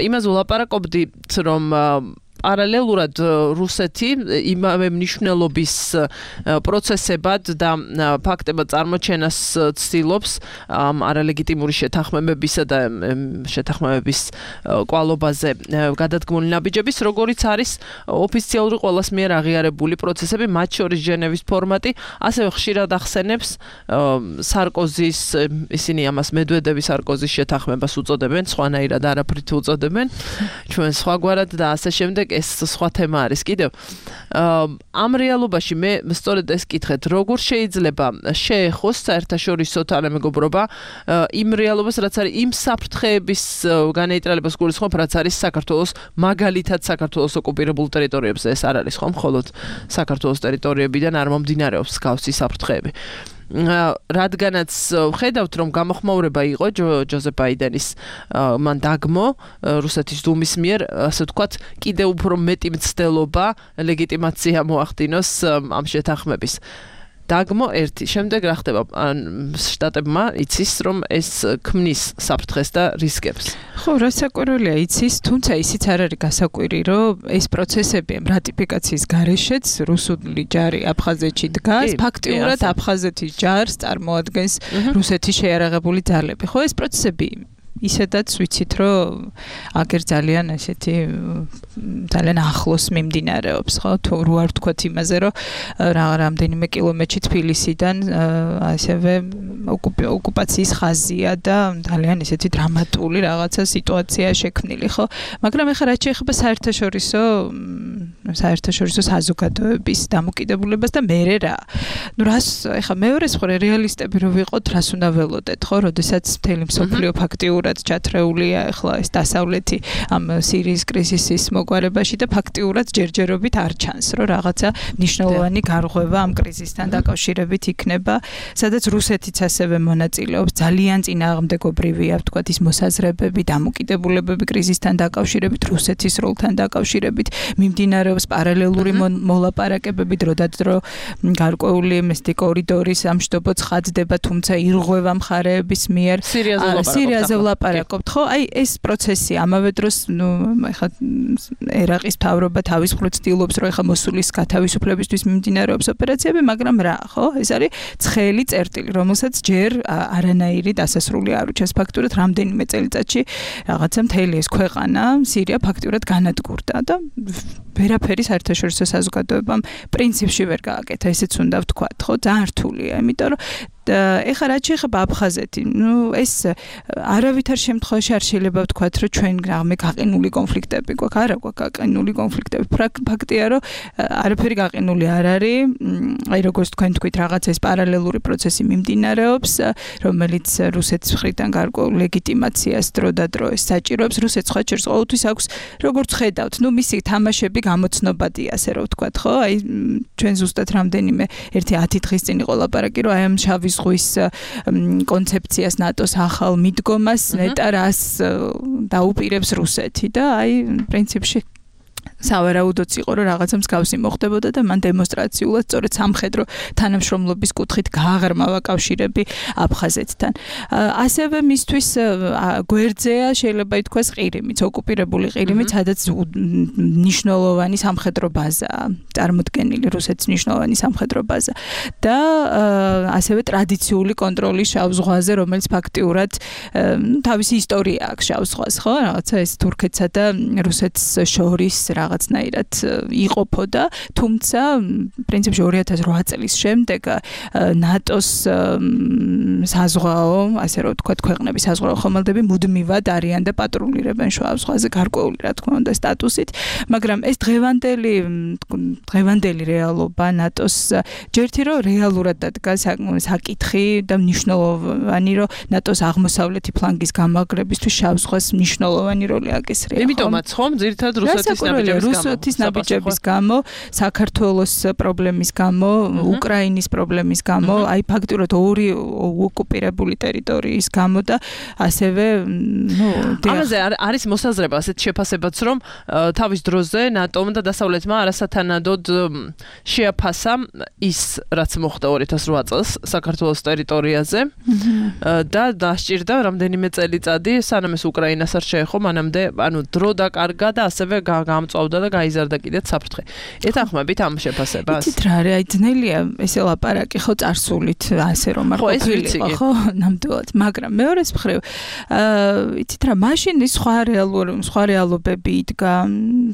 იმას ვლაპარაკობდით, რომ პარალელურად რუსეთი იმავე მნიშვნელობის პროცესებად და ფაქტებად წარმოჩენას ცდილობს არალეგიტიმური შეთანხმებებისა და შეთანხმებების კვალობაზე გადადგმული ნაბიჯების, როგორიც არის ოფიციალური ყველას მიერ აღიარებული პროცესები, მათ შორის ჟენევის ფორმატი, ასევე ხშირად ახსენებს სარკოზის, ისინი ამას მედვედევის სარკოზის შეთანხმებას უწოდებენ, სხვანაირად არაფრით უწოდებენ, ჩვენ სხვაგვარად და ასე შემდეგ. ეს სხვა თემა არის კიდევ. ამ რეალობაში მე სწორედ ეს კითხეთ, როგორ შეიძლება შეეხოს საერთაშორისო თანამეგობრობა იმ რეალობას, რაც არის იმ საფრთხეების განეიტრალებას გულისხმობ, რაც არის საქართველოს, მაგალითად საქართველოს ოკუპირებულ ტერიტორიებზე. ეს არ არის ხომ მხოლოდ საქართველოს ტერიტორიებიდან არ მომდინარეობს მსგავსი საფრთხეები. რადგანაც ხედავთ, რომ გამოხმაურება იყო ჯოზეფ ბაიდენის მან დაგმო რუსეთის დუმის მიერ, ასე ვთქვათ, კიდევ უფრო მეტი მცდელობა, ლეგიტიმაცია მოახდინოს ამ შეთანხმების. დაგმო ერთი, შემდეგ რა ხდება? შტატებმა იცის, რომ ეს ქმნის საფრთხეს და რისკებს. ხო, რასაკვირველია იცის, თუმცა ისიც არ არის გასაკვირი, რომ ეს პროცესები რატიფიკაციის გარეშეც რუსული ჯარი აფხაზეთში დგას, ფაქტიურად აფხაზეთის ჯარს წარმოადგენს რუსეთის შეიარაღებული ძალები. ხო, ეს პროცესები ისედაც ვიცით, რომ აგერ ძალიან ესეთი ძალიან ახლოს მიმდინარეობს, ხო? თუ რო არ ვთქვათ იმაზე, რომ რამდენიმე კილომეტრში თბილისიდან ასევე ოკუპაციის ხაზია და ძალიან ესეთი დრამატული რაღაცა სიტუაცია შექმნილი, ხო? მაგრამ ეხლა რაც შეეხება საერთაშორისო საზოგადოების დამოკიდებულებას და მერე რა. ნუ რას ეხლა მეორეს მხარე რეალისტები რო ვიყოთ, რას უნდა ველოდეთ, ხო? როდესაც მთელი მსოფლიო ფაქტიურად ჩათრეულია ეხლა ეს დასავლეთი ამ სირიის კრიზისის მოგვარებაში და ფაქტიურად ჯერჯერობით არ ჩანს, რომ რაღაცა მნიშვნელოვანი გარღვევა ამ კრიზისთან დაკავშირებით იქნება, სადაც რუსეთიც ასევე მონაწილეობს, ძალიან წინააღმდეგობრივია, ვთქვათ, ის მოსაზრებები, დამოკიდებულებები კრიზისთან დაკავშირებით, რუსეთის როლთან დაკავშირებით, მიმდინარეობს პარალელური მოლაპარაკებები დროდადრო გარკვეული მესტი კორიდორის ამშტობო ცხადდება, თუმცა ირღვევა მხარეების მიერ სირიაზე ვლაპარაკობთ, ხო? აი ეს პროცესი ამავე დროს, ნუ ეხლა ერაყის მთავრობა თავის მხრივ ცდილობს, რომ ეხლა მოსულის გათავისუფლებისთვის მიმდინარეობს ოპერაციები, მაგრამ რა, ხო? ეს არის ცხელი წერტილი, რომელსაც ჯერ არანაირი დასასრული არ უჩენს ფაქტურად რამდენიმე წელიწადში რაღაცა მთელი ეს ქვეყანა სირია ფაქტურად განადგურდა და ვერაფერი საერთაშორისო საზოგადოებამ პრინციპში ვერ გააკეთა, ესეც უნდა ვთქვათ, ხო? ძალიან რთულია, იმიტომ რომ ეხლა რაც შეეხება აფხაზეთი, ნუ ეს არავითარ შემთხვევაში არ შეიძლება ვთქვათ, რომ ჩვენ რამე გაყინული კონფლიქტები გვაქვს, არა გვაქვს გაყინული კონფლიქტები. ფაქტია, რომ არაფერი გაყინული არ არის, აი როგორც თქვენ თქვით, რაღაც ეს პარალელური პროცესი მიმდინარეობს, რომელიც რუსეთის მხრიდან გარკვეულ ლეგიტიმაციას დროდადრო საჭიროებს. რუსეთს სხვა ჩერს ყოველთვის აქვს, როგორც ხედავთ, ნუ მისი თამაშები გამოცნობადია, ასე რომ ვთქვათ, ხო? აი ჩვენ ზუსტად რამდენიმე 1-10 დღის წინ იყო ლაპარაკი, რომ აი ამ შავი ზღვის კონცეფციას ნატოს ახალ მიდგომას ნეტა რას დაუპირებს რუსეთი და აი პრინციპში სავარაუდოც იყო, რომ რაღაცა მსგავსი მოხდებოდა და მან დემონსტრაციულად სწორედ სამხედრო თანამშრომლობის კუთხით გააღრმა კავშირები აფხაზეთთან. ასევე მისთვის გვერდზეა შეიძლება ითქვას ყირიმიც, ოკუპირებული ყირიმიც, სადაც მნიშვნელოვანი სამხედრო ბაზაა, წარმოდგენილი რუსეთის მნიშვნელოვანი სამხედრო ბაზა და ასევე ტრადიციული კონტროლი შავ ზღვაზე, რომელიც ფაქტიურად თავისი ისტორია აქვს შავ ზღვას, ხო? რაღაცა ეს თურქეთსა და რუსეთს შორის რაღაცნაირად იყოფოდა, თუმცა პრინციპში 2008 წლის შემდეგ ნატოს საზღვაო, ასე რომ ვთქვათ, ქვეყნების საზღვაო ხომალდები მუდმივად არიან და პატრულირებენ შავ ზღვაზე გარკვეული, რა თქმა უნდა, სტატუსით, მაგრამ ეს დღევანდელი რეალობა ნატოს ჯერთი რომ რეალურად დადგა საკითხი და მნიშვნელოვანი, რომ ნატოს აღმოსავლეთი ფლანგის გამაგრებისთვის შავ ზღვას მნიშვნელოვანი როლი აკისრია. იმიტომაც ხომ ძირითადად რუსეთის ნაბიჯების გამო, საქართველოს პრობლემის გამო, უკრაინის პრობლემის გამო, აი ფაქტურად ორი ოკუპირებული ტერიტორიის გამო და ასევე, ამაზე არის მოსაზრება ასეთ შეფასებაც, რომ თავის დროზე ნატომ და დასავლეთმა არასათანადოდ შეაფასა ის, რაც მოხდა 2008 წელს საქართველოს ტერიტორიაზე და დასჭირდა რამდენიმე წელიწადი, სანამ ეს უკრაინას არ შეეხო, მანამდე, ანუ დრო დაკარგა და ასევე გამწვავდა და გაიზარდა კიდეც საფრთხე. ეთანხმებით ამ შეფასებას? იცით რა არის, აი ძნელია ესე ლაპარაკი, ხო, წარსულით ასე რომ არ ყოფილიყო, ხო, ნამდვილად, მაგრამ მეორეს მხრივ, იცით რა, მაშინ ის სხვა რეალობები იდგა,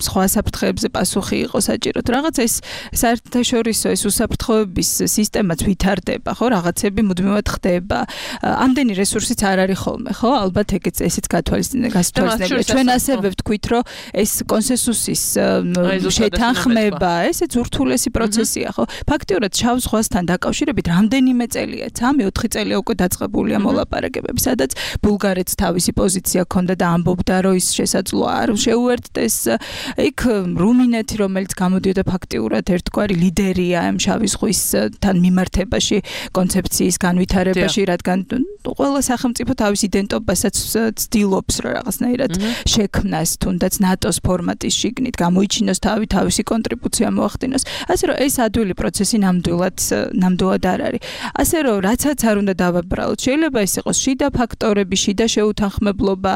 სხვა საფრთხეებზე პასუხი იყო საჭიროდ. რაღაც ეს საერთაშორისო ეს უსაფრთხოების სისტემაც ვითარდება, ხო, რაღაცები მუდმივად ხდება. ამდენი რესურსიც არ არის ხოლმე, ხო? ალბათ ესეც გასათვალისწინებელია. ჩვენ ასევე ვთქვით, რომ ეს კონსენსუსის შეთანხმება, ესეც ურთულესი პროცესია, ხო? ფაქტიურად შავ ზღვასთან დაკავშირებით რამდენიმე წელია, 3-4 წელია უკვე დაწყებულია მოლაპარაკებები, სადაც ბულგარეთს თავისი პოზიცია ჰქონდა და ამბობდა, რომ ის შესაძლოა არ შეუერთდეს. იქ რუმინეთი, რომელიც გამოდიოდა ფაქტიურად ერთგვარი ლიდერია ამ შავი ზღვისთან მიმართებაში, კონცეფციის განვითარებაში, რადგან ყველა სახელმწიფო თავის იდენტობასაც ცდილობს, რომ რაღაცნაირად შექმნას, თუნდაც ნატოს ფორმატის შიგნით, გამოიჩინოს თავისი კონტრიბუცია მოახდინოს. ასე რომ ეს ადვილი პროცესი ნამდვილად არ არის. ასე რომ რაცაც არ უნდა დავაბრალოთ, შეიძლება ეს იყოს შიდა ფაქტორები, შიდა შეუთანხმებლობა,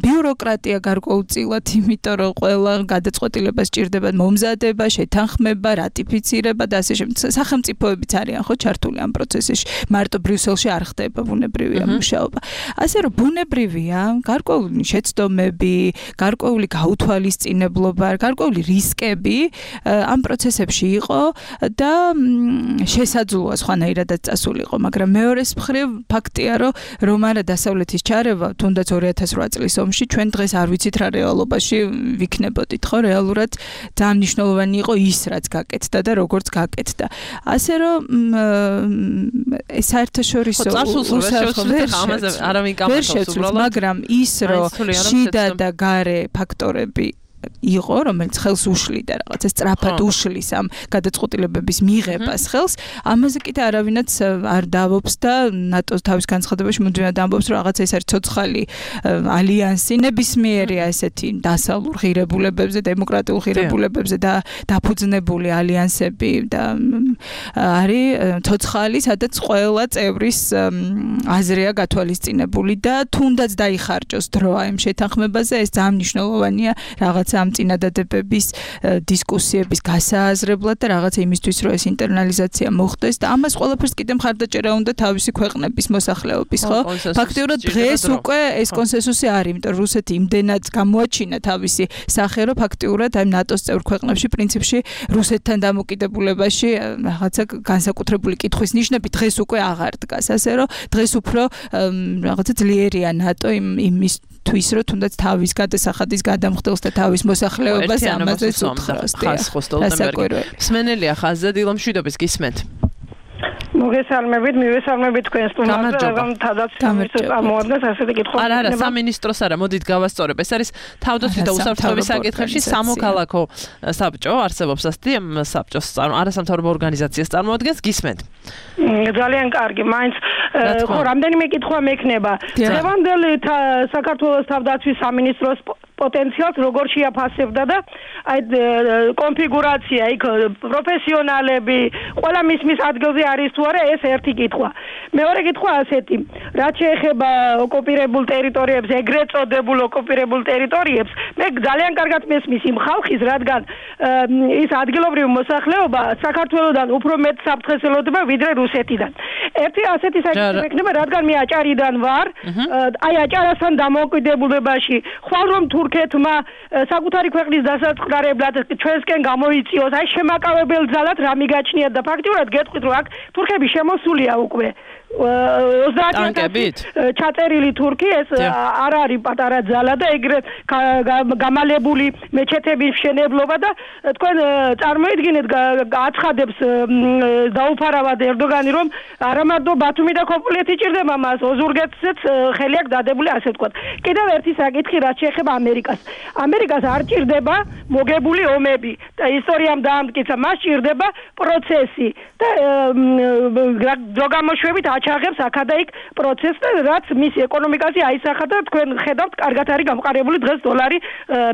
ბიუროკრატია გარკვეულწილად, იმიტომ რომ ყველა გადაწყვეტილება სჭირდება მომზადება, შეთანხმება, რატიფიცირება და ასე შემდეგ. სახელმწიფოებიც არიან ხო ჩართული ამ პროცესში. მარტო ბრიუსელში არ ხდება ბუნებრივია მუშაობა. ასე რომ ბუნებრივია გარკვეული შეცდომები, გარკვეული გაუთვალისწინებლობა, გარკვეული რისკები ამ პროცესებში იყო და შესაძლოა სხვანაირადაც წასულიყო, მაგრამ მეორეს მხრივ ფაქტია, რომ არა დასავლეთის ჩარევა, თუნდაც 2008 წლის ომში ჩვენ დღეს არ ვიცით რა რეალობაში ვიქნებოდით, ხო, რეალურად ძალიან მნიშვნელოვანი იყო ის, რაც გაკეთდა და როგორც გაკეთდა. ასე რომ საერთაშორისო მაგრამ ის, რომ შიდა და გარე ფაქტორები იყო, რომელიც ხელს უშლიდა რაღაცა სწრაფად უშლის ამ გადაწყვეტილებების მიღებას ხელს, ამაზე კიდე არავინაც არ დავობს და ნატოს თავის განცხადებაში მუდმივად ამბობს, რომ რაღაცა ეს არის ცოცხალი ალიანსი, ნებისმიერი ესეთი დასავლურ ღირებულებებზე, დემოკრატიულ ღირებულებებზე და დაფუძნებული ალიანსები და არის ცოცხალი, სადაც ყველა წევრის აზრია გათვალისწინებული და თუნდაც დაიხარჯოს დრო ამ შეთანხმებაზე, ეს ძალიან მნიშვნელოვანია რაღაც ამ წინადადებების დისკუსიების გასააზრებლად და რაღაცა იმისთვის, რომ ეს ინტერნალიზაცია მოხდეს და ამას ყველაფერს კიდე მხარდაჭერა უნდა თავისი ქვეყნების მოსახლეობის, ხო? ფაქტიურად დღეს უკვე ეს კონსენსუსი არის, იმიტომ რომ რუსეთი იმდენად გამოაჩინა თავისი სახე, რომ ფაქტიურად აი ნატოს წევრ ქვეყნებში პრინციპში რუსეთთან დამოკიდებულებაში რაღაცა განსაკუთრებული კითხვის ნიშნები დღეს უკვე აღარ დგას, ასე რომ დღეს უფრო რაღაცა ძლიერია ნატო იმის თვის რომ თუნდაც თავის გადასახადის გადამხდელს და თავის მოსახლეობას ამაზე უთხრავს. მსმენელია ხაზზე დილომშვიდობის გისმენთ. მოგესალმებით, მივესალმებით თქვენ სტუმარს, რომ თავდაცვის წარმოადგენს ასეთი კითხვა. არა, სამინისტროს არა, მოდით გავასწორებ. ეს არის თავდაცვის და უსაფრთხოების საკითხებში სამოქალაქო საბჭო, არსებობს ასეთი საბჭოს არასამთავრობო ორგანიზაციას წარმოადგენს, გისმენთ. ძალიან კარგი, მაინც ხო რამდენიმე კითხვა მექნება. დღევანდელი საქართველოს თავდაცვის სამინისტროს პოტენციალს როგორ შეაფასებდა და აი კონფიგურაცია იქ პროფესიონალები ყველა მის ადგილზე არის თუ არა, ეს ერთი კითხვა. მეორე კითხვა ასეთი, რაც შეეხება ოკუპირებულ ტერიტორიებს, ეგრეთ წოდებულ ოკუპირებულ ტერიტორიებს, მე ძალიან კარგად მესმის იმ ხალხის, რადგან ის ადგილობრივი მოსახლეობა საქართველოსთან უფრო მეტ საფრთხეს ელოდება ვიდრე რუსეთიდან. ერთი ასეთი საკითხი მექნება, რადგან მე აჭარიდან ვარ, აი აჭარასთან დამოკიდებულებაში ხვალ რომ თურქეთმა საკუთარი ქვეყნის დასაწყდარებლად ჩვენსკენ გამოიწიოს, აი შემაკავებელ ძალად რა მიგაჩნიათ და ფაქტიურად გეტყვით, რომ აქ თურქები შემოსულია უკვე 30 ჩაწერილი თურქი, ეს არ არის პატარა ძალა და ეგრეთ გამალებული მეჩეთების მშენებლობა და თქვენ წარმოიდგინეთ აცხადებს დაუფარავად ერდოგანი, რომ არა მარტო ბათუმი და ქოპოლეთი ჭირდება მას, ოზურგეთზეც ხელი აქვს დადებული, ასე ვთქვათ. კიდევ ერთი საკითხი, რაც შეეხება ამერიკას. ამერიკას არ ჭირდება მოგებული ომები და ისტორიამ დაამტკიცა, მას ჭირდება პროცესი და დროგამოშვებით აჩაღებს აქადაიქ პროცესს და რაც მის ეკონომიკაზე აისახა და თქვენ ხედავთ, კარგად არის გამყარებული დღეს დოლარი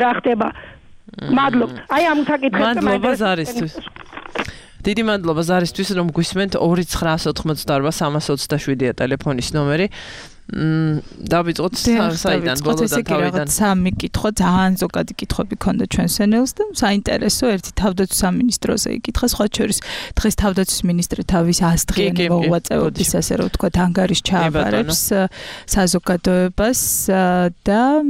რა ხდება. მადლობთ. აი ამ საკითხებზე მადლობა ზარისთვის. დიდი მადლობა ზარისთვის, რომ გვისმენთ 2988327-ია ტელეფონის ნომერი. დავიწყოთ საიდან ბოლოდან თავიდან. სამი კითხვა, ძალიან ზოგადი კითხვები ქონდა ჩვენ სენელს და საინტერესო ერთი თავდაცვის სამინისტროზე იკითხა, სხვა შორის დღეს თავდაცვის მინისტრი თავის ასდღიანი მოღვაწეობის, ასე რომ ვთქვათ, ანგარიშს ჩააბარებს საზოგადოებას და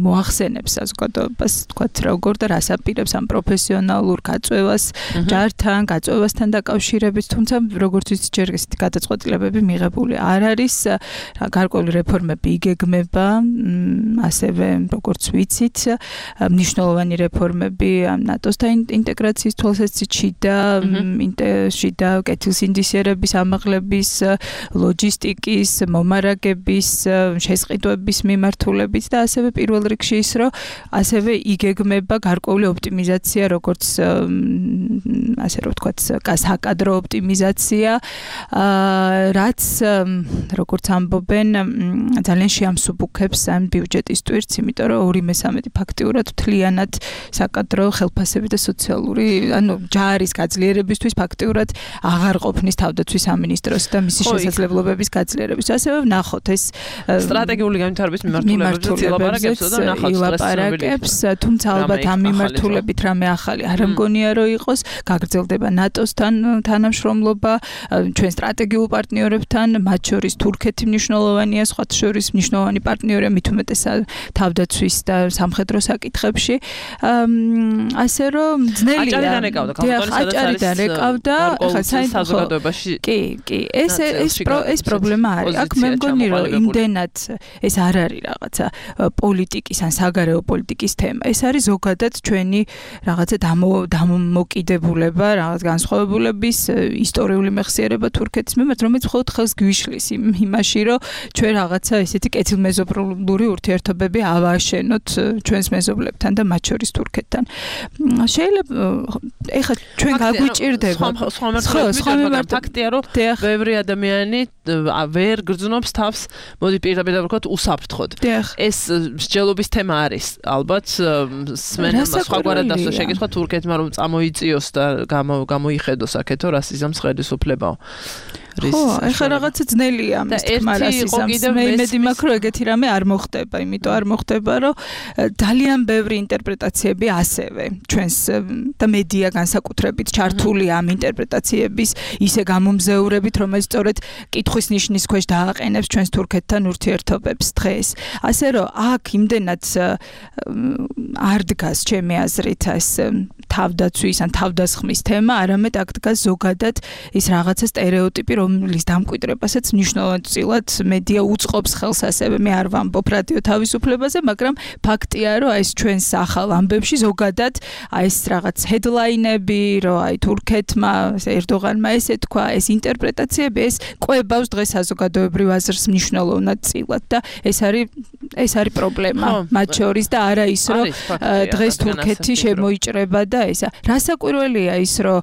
მოახსენებს საზოგადოებას, ვთქვათ, როგორ და რას აპირებს ამ პროფესიონალურ გაწევას, ჯართან, გაწევასთან დაკავშირებით, თუმცა როგორც ვიცით, ჯერ ესეთი გადაწყვეტილებები მიღებული არ არის. გარკვეული რეფორმები იგეგმება, ასევე როგორც ვიცით, მნიშვნელოვანი რეფორმები ნატოსთან ინტეგრაციის თვალსაზრისით და კეთილსინდისიერების ამაღლების, ლოჯისტიკის, მომარაგების, შესყიდვების მიმართულებით და ასევე პირველ რიგში ის, რომ ასევე იგეგმება გარკვეული ოპტიმიზაცია როგორც ასე რომ ვთქვათ, საკადრო ოპტიმიზაცია, რაც როგორც ამბობენ, ძალიან შეამსუბუქებს ამ ბიუჯეტის ტვირთს, იმიტომ რომ 2/3 ფაქტიურად მთლიანად საკადრო ხელფასები და სოციალური, ჯარის გაძლიერებისთვის ფაქტიურად აღარ ყოფნის თავდაცვის სამინისტროს და მისი შესაძლებლობების გაძლიერებისთვის. ასევე ვნახოთ ეს სტრატეგიული განვითარების მიმართულებებს და ვილაპარაკებს, თუმცა ალბათ ამ მიმართულებით რამე ახალი არ მგონია რომ იყოს, გაგრძელდება ნატოსთან თანამშრომლობა, ჩვენ სტრატეგიულ პარტნიორებთან, მათ შორის თურქეთი მნიშვნელოვანია, სხვათა შორის მნიშვნელოვანი პარტნიორია მით უმეტესად თავდაცვის და სამხედრო საკითხებში. ასე რომ ძნელია. აჭარიდან ეკავდა, ხა საზოგადოებაში. კი, ეს პრობლემა არის. აქ მე მგონი რომ იმდენად ეს არ არის რაღაცა პოლიტიკის ან საგარეო პოლიტიკის თემა. ეს არის ზოგადად ჩვენი რაღაცა დამოკიდებულება, რაღაც განსხვავებულების ისტორიული მეხსიერება თურქეთის მიმართ, რომელიც მხოლოდ ხელს გვიშლის იმაში, რომ ჩვენ რაღაცა ესეთი კეთილმეზობლური ურთიერთობები ავააშენოთ ჩვენს მეზობლებთან და მათ შორის თურქეთთან. შეიძლება ეხლა ჩვენ გაგვიჭირდება სხვა ფაქტია, რომ ბევრი ადამიანი ვერ გრძნობს თავს, მოდი პირდაპირ ვთქვათ, უსაფრთხოდ. ეს მსჯელობის თემა არის. ალბათ სმენა სხვაგვარად დასვა შეკითხვა თურქეთმა რომ წამოიწიოს და გამოიხედოს აქეთო რასიზმს ხელისუფლებაო. ხო, ეხლა რაღაცა ძნელია ამის თქმა რასიზმს. მე იმედი მაქვს, რომ ეგეთი რამე არ მოხდება, იმიტომ არ მოხდება, რომ ძალიან ბევრი ინტერპრეტაციები ასევე ჩვენს და მედია განსაკუთრებით ჩართულია ამ ინტერპრეტაციების ისე გამომზეურებით, რომელიც სწორედ კითხვის ნიშნის ქვეშ დააყენებს ჩვენს თურქეთთან ურთიერთობებს დღეს. ასე რომ აქ იმდენად არ დგას ჩემი აზრით ეს თავდაცვის ან თავდასხმის თემა, არამედ აქ დგას ზოგადად ის რაღაცა სტერეოტიპი, რომლის დამკვიდრებასაც მნიშვნელოვნად მედია უწყობს ხელს, ასევე მე არ ვამბობ რადიო თავისუფლებაზე, მაგრამ ფაქტია, რომ ეს ჩვენს ახალ ამბებში ზოგადად ეს რაღაც ჰედლაინები, რომ თურქეთმა, ერდოღანმა ესე თქვა, ეს ინტერპრეტაციები, ეს ყვებავს დღეს საზოგადოებრივ აზრს მნიშვნელოვნად წილად და ეს არის პრობლემა მათ შორის და არა ის, რომ დღეს თურქეთი შემოიჭრება და ესა. რასაკვირველია ის, რომ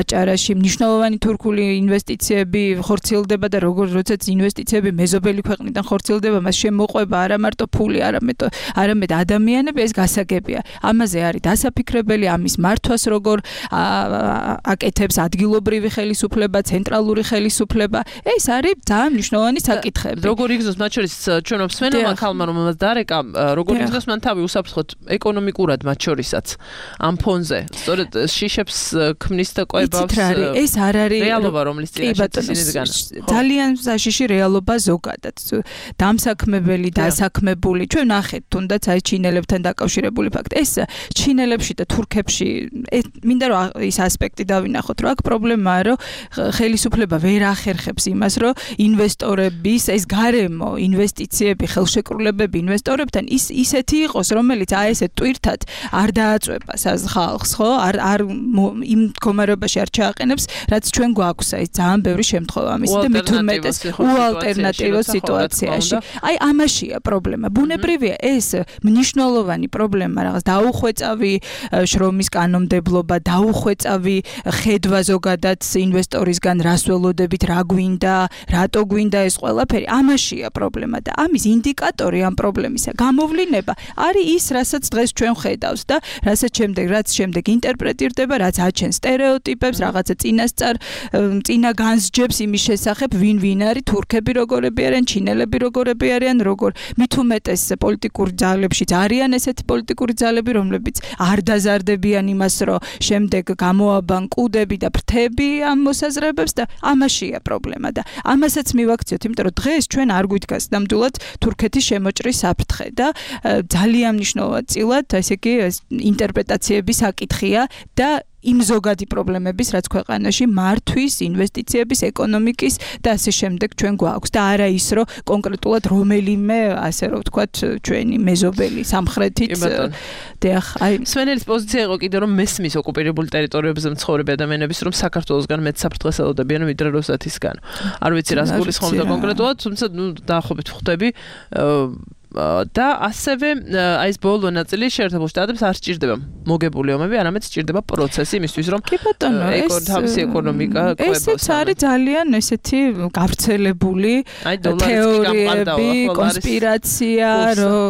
აჭარაში მნიშვნელოვანი თურქული ინვესტიციები ხორციელდება და როდესაც ინვესტიციები მეზობელი ქვეყნიდან ხორციელდება, მას შემოყვება არა მარტო ფული, არამედ ადამიანები, ეს გასაგებია. ამაზე არის დასაფიქრებელი, ამის მართვას როგორ აკეთებს ადგილობრივი ხელისუფლება, ცენტრალური ხელისუფლება. ეს არის ძალიან მნიშვნელოვანი საკითხები. როგორ იგრძნობს მათ შორის ჩვენო მსმენელმა ქალმა, რომელმაც დარეკა, როგორ იგრძნობს მან თავი უსაფრთხოდ ეკონომიკურად მათ შორისაც ამ ფონზე. სწორედ შიშებს ქმნის და ყვებავს. ეს არ არის რეალობა, რომლის წინაშე ძალიან საშიში რეალობა ზოგადად. დამსაქმებელი, დასაქმებული, ჩვენ ნახეთ თუნდაც აი ჩინელებთან დაკავშირებული ფაქტი. ეს ჩინელებში და თურქებში მინდა რომ ის ასპექტი დავინახოთ, რომ აქ პრობლემაა, რომ ხელისუფლება ვერ ახერხებს იმას, რომ ინვესტორების ეს გარემო ინვესტიციები, ხელშეკრულებები ინვესტორებთან ისეთი იყოს, რომელიც აი ესე ტვირთად არ დააწვება ხალხს, ხო? არ იმ მდგომარეობაში არ ჩააყენებს, რაც ჩვენ გვაქვს აი ძალიან ბევრი შემთხვევა ამისი და მით უმეტეს უალტერნატივო სიტუაციაში. აი ამაშია პრობლემა. ბუნებრივია ეს მნიშვნელოვანი პრობლემა, რაღაც დაუხვეწავი შრომის კანონმდებლობა, დაუხვეწავი ხედვა ზოგადად ინვესტორისგან რას ველოდებით, რა გვინდა, რატო გვინდა ეს ყველაფერი. ამაშია პრობლემა და ამის ინდიკატორი ამ პრობლემისა გამოვლინება არის ის, რასაც დღეს ჩვენ ხედავს და რაც შემდეგ ინტერპრეტირდება, რაც აჩენს სტერეოტიპებს, რაღაცა წინა განსჯებს იმის შესახებ, ვინ არის თურქები როგორები არიან, ჩინელები როგორები არიან, როგორ მით უმეტეს პოლიტიკურ ძალებშიც არიან ესეთი პოლიტიკური ძალები, რომლებიც არ დაზარდებიან იმას, რომ შემდეგ გამოაბან კუდები და ფრთები ამ მოსაზრებებს და ამაშია პრობლემა და ამასაც მივაქციოთ, იმიტომ რომ დღეს ჩვენ არ გვიდგას ნამდვილად თურქეთის შემოჭრის საფრთხე და ძალიან მნიშვნელოვან წილად, ესე იგი ინტერპრეტაციების საკითხია და იმ ზოგადი პრობლემების, რაც ქვეყანაში მართვის, ინვესტიციების, ეკონომიკის და ასე შემდეგ ჩვენ გვაქვს და არა ის, რომ კონკრეტულად რომელიმე, ასე რომ ვთქვათ, ჩვენი მეზობელი სამხრეთით სვენელის პოზიცია იყო კიდე რომ მესმის ოკუპირებულ ტერიტორიებზე მცხოვრები ადამიანების რომ საქართველოსგან მეტ საფრთხეს ელოდებიან ვიდრე რუსეთისგან. არ ვიცი რას გულისხმობდა კონკრეტულად, თუმცა დაახლოებით ხვდები და ასევე აი ეს ბოლო ნაწილი შეერთებულ შტატებს არ სჭირდება მოგებული ომები, არამედ სჭირდება პროცესი იმისთვის, რომ თავისი ეკონომიკა ყვებოს. ესეც არის ძალიან ესეთი გავრცელებული თეორიები, კონსპირაცია, რომ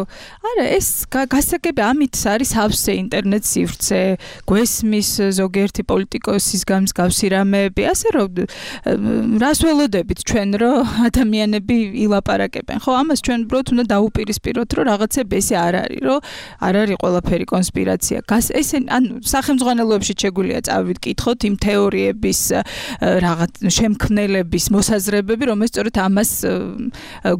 არა, ეს გასაგები ამით არის ავსე ინტერნეტ სივრცე, გვესმის ზოგიერთი პოლიტიკოსის გამსგავსი რამეები, ასე რომ რას ველოდებით ჩვენ, რომ ადამიანები ილაპარაკებენ. ხო, ამას ჩვენ უბრალოდ უნდა დაუპირისპიროთ, რომ რაღაცები ესე არ არის, რომ არ არის ყველაფერი კონსპირაცია. ესე ანუ სახელმძღვანელოებში შეგვიძლია წავიკითხოთ იმ თეორიების რაღაც შემქმნელების მოსაზრებები, რომელიც სწორედ ამას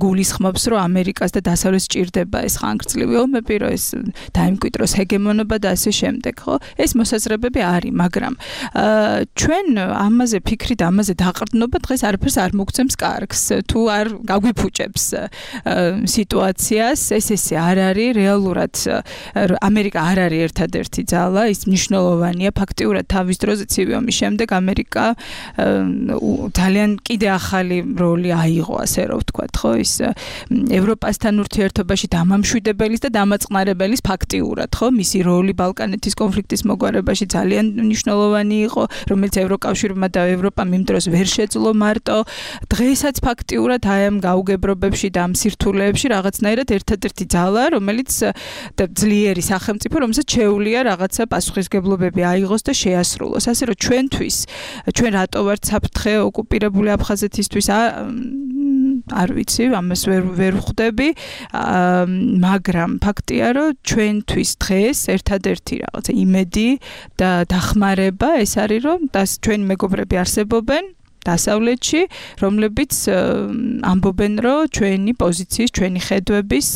გულისხმობს, რომ ამერიკას და დასავლეთს სჭირდება ეს ხანგრძლივი ომები, რომ ეს დაიმკვიდროს ჰეგემონობა და ასე შემდეგ, ხო? ეს მოსაზრებები არის, მაგრამ ჩვენ ამაზე ფიქრით, ამაზე დაყრდნობა დღეს არაფერს არ მოგცემს კარგს, თუ არ გაგვიფუჭებს სიტუაციას, ესე არ არის რეალურად ამერიკა არ არის ერთადერთი ძალა, ის მნიშვნელოვანია ფაქტიურად თავის დროზე ცივი ომის შემდეგ ამერიკა ძალიან კიდე ახალი როლი აიღო, ასე რომ ვთქვათ, ხო, ის ევროპასთან ურთიერთობაში დამამშვიდებელის და დამაწყნარებელის ფაქტიურად, ხო, მისი როლი ბალკანეთის კონფლიქტის მოგვარებაში ძალიან მნიშვნელოვანი იყო, რომელიც ევროკავშირმა და ევროპამ იმ დროს ვერ შეძლო მარტო. დღესაც ფაქტიურად აი ამ გაუგებრობებში და ამ სირთულეებში რაღაცნაირად ერთადერთი ძალა, რომელიც ძლიერი სახელმწიფო, რომელსაც შეუძლია რაღაცა პასუხისგებლობები აიღოს და შეასრულოს. ასე რომ ჩვენ რატო ვართ საფრთხე ოკუპირებული აფხაზეთისთვის არ ვიცი, ამას ვერ ვხვდები, მაგრამ ფაქტია, რომ ჩვენთვის დღეს ერთადერთი რაღაცა იმედი და დახმარება ეს არის, რომ ჩვენი მეგობრები არსებობენ დასავლეთში, რომლებიც ამბობენ, რომ ჩვენი პოზიციის, ჩვენი ხედვების,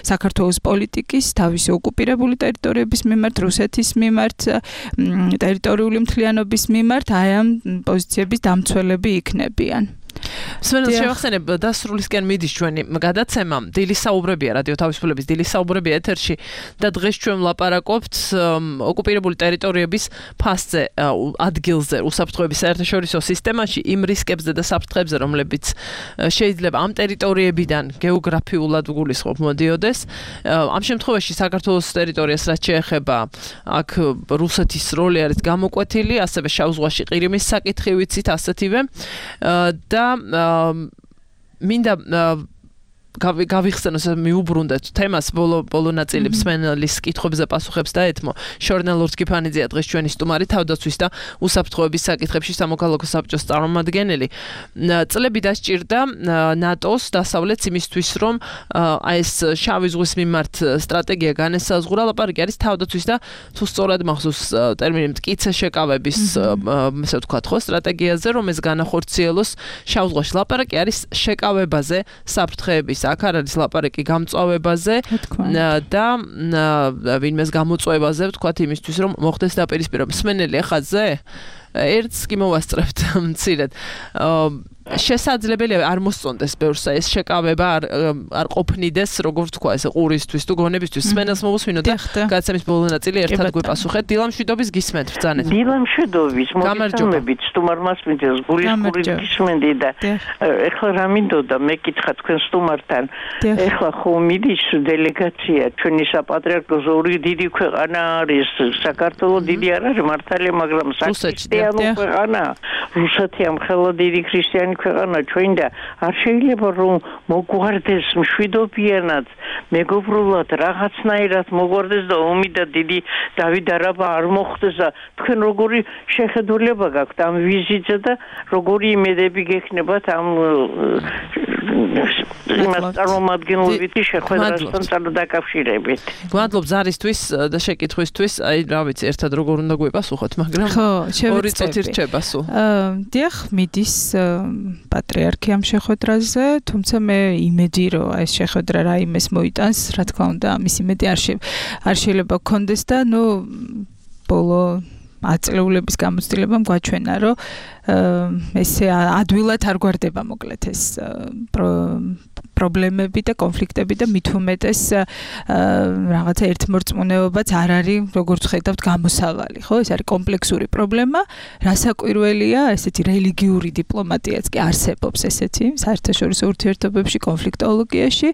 საქართველოს პოლიტიკის, თავისი ოკუპირებული ტერიტორიების მიმართ, რუსეთის მიმართ, ტერიტორიული მთლიანობის მიმართ აი ამ პოზიციების დამცველები იქნებიან. სვენელს შევახსენებ, დასრულისკენ მიდის ჩვენი გადაცემა, დილის საუბრებია, რადიო თავისუფლების დილის საუბრებია ეთერში და დღეს ჩვენ ვლაპარაკობთ ოკუპირებული ტერიტორიების ფასზე, ადგილზე, უსაფრთხოების საერთაშორისო სისტემაში, იმ რისკებზე და საფრთხებზე, რომლებიც შეიძლება ამ ტერიტორიებიდან გეოგრაფიულად გულისხმობ მოდიოდეს. ამ შემთხვევაში საქართველოს ტერიტორიას რაც შეეხება, აქ რუსეთის როლი არის გამოკვეთილი, ასევე შავ ზღვაში ყირიმის საკითხი ვიცით ასეთივე და მინდა გავიხსენოს მიუბრუნდეთ თემას ბოლო ნაწილი მსმენელის კითხვებზე პასუხებს დაეთმო შორნელ ლორთქიფანიძეა დღეს ჩვენი სტუმარი თავდაცვის და უსაფრთხოების საკითხებში სამოქალაქო საბჭოს წარმომადგენელი წლები დასჭირდა ნატოს დასავლეთს იმისთვის რომ აი ეს შავი ზღვის მიმართ სტრატეგია განესაზღვრა ლაპარაკი არის თავდაცვის და თუ სწორად მახსოვს ტერმინი მტკიცე შეკავების ესე ვთქვათ ხო სტრატეგიაზე რომ ეს განახორციელოს შავ ზღვაში ლაპარაკი არის შეკავებაზე საფრთხეების აქ არის ლაპარაკი გამწვავებაზე და ვინმეს გამოწვევაზე ვთქვათ იმისთვის რომ მოხდეს დაპირისპირება მსმენელი ახალზე ერთს კი მოვასწრებთ მცირედ შესაძლებელია არ მოსწონდეს ბევრს ეს შეკავება არ ყოფნიდეს როგორ თქვა ეს ყურისთვის თუ გონებისთვის სმენელს მოვუსვინო და გადაცემის ბოლო ნაწილი ერთად გვეპასუხეთ დილამშვიდობის გისმენთ ბრძანეთ დილამშვიდობის მოგესალმებით სტუმარ მასმინძელს გულისხმობით გისმენდი და ეხლა რა მინდოდა მეკითხა თქვენ სტუმართან ეხლა ხო მიდის დელეგაცია ჩვენი საპატრიარქოს ორი დიდი ქვეყანა არის საქართველოს დიდი არ არის მართალია მაგრამ საკრისტიანო ქვეყანა რუსეთი ამხელა დიდი ქრისტიანი ქვეყანა ჩვენ და არ შეიძლება რომ მოგვარდეს მშვიდობიანად მეგობრულად რაღაცნაირად მოგვარდეს და ომი და დიდი დავით არაბა არ მოხდეს და თქვენ როგორი შეხედულება გაქვთ ამ ვიზიტზე და როგორი იმედები გექნებათ ამ წარმომადგენლობითი შეხვედრასთან დაკავშირებით გვადლობ ზარისთვის და შეკითხვისთვის აი რა ვიცი ერთად როგორ უნდა გვეპასუხოთ მაგრამ ორი წუთი რჩება სულ დიახ მიდის პატრიარქი ამ შეხვედრაზე, თუმცა მე იმედი რომ ეს შეხვედრა რაიმეს მოიტანს, რა თქმა უნდა, ამის იმედი არ შეიძლება გქონდეს და ნუ ბოლო აწლეულების გამოცდილებამ გვაჩვენა, რომ ესე ადვილად არ გვარდება მოკლედ ეს პრობლემები და კონფლიქტები და მით უმეტეს რაღაცა ერთმორწმუნეობაც არ არის, როგორც ხედავთ, გამოსავალი, ხო? ეს არის კომპლექსური პრობლემა, რასაკვირველია, ესეთი რელიგიური დიპლომატიაც კი არსებობს ესეთი საერთაშორისო ურთიერთობებში, კონფლიქტოლოგიაში,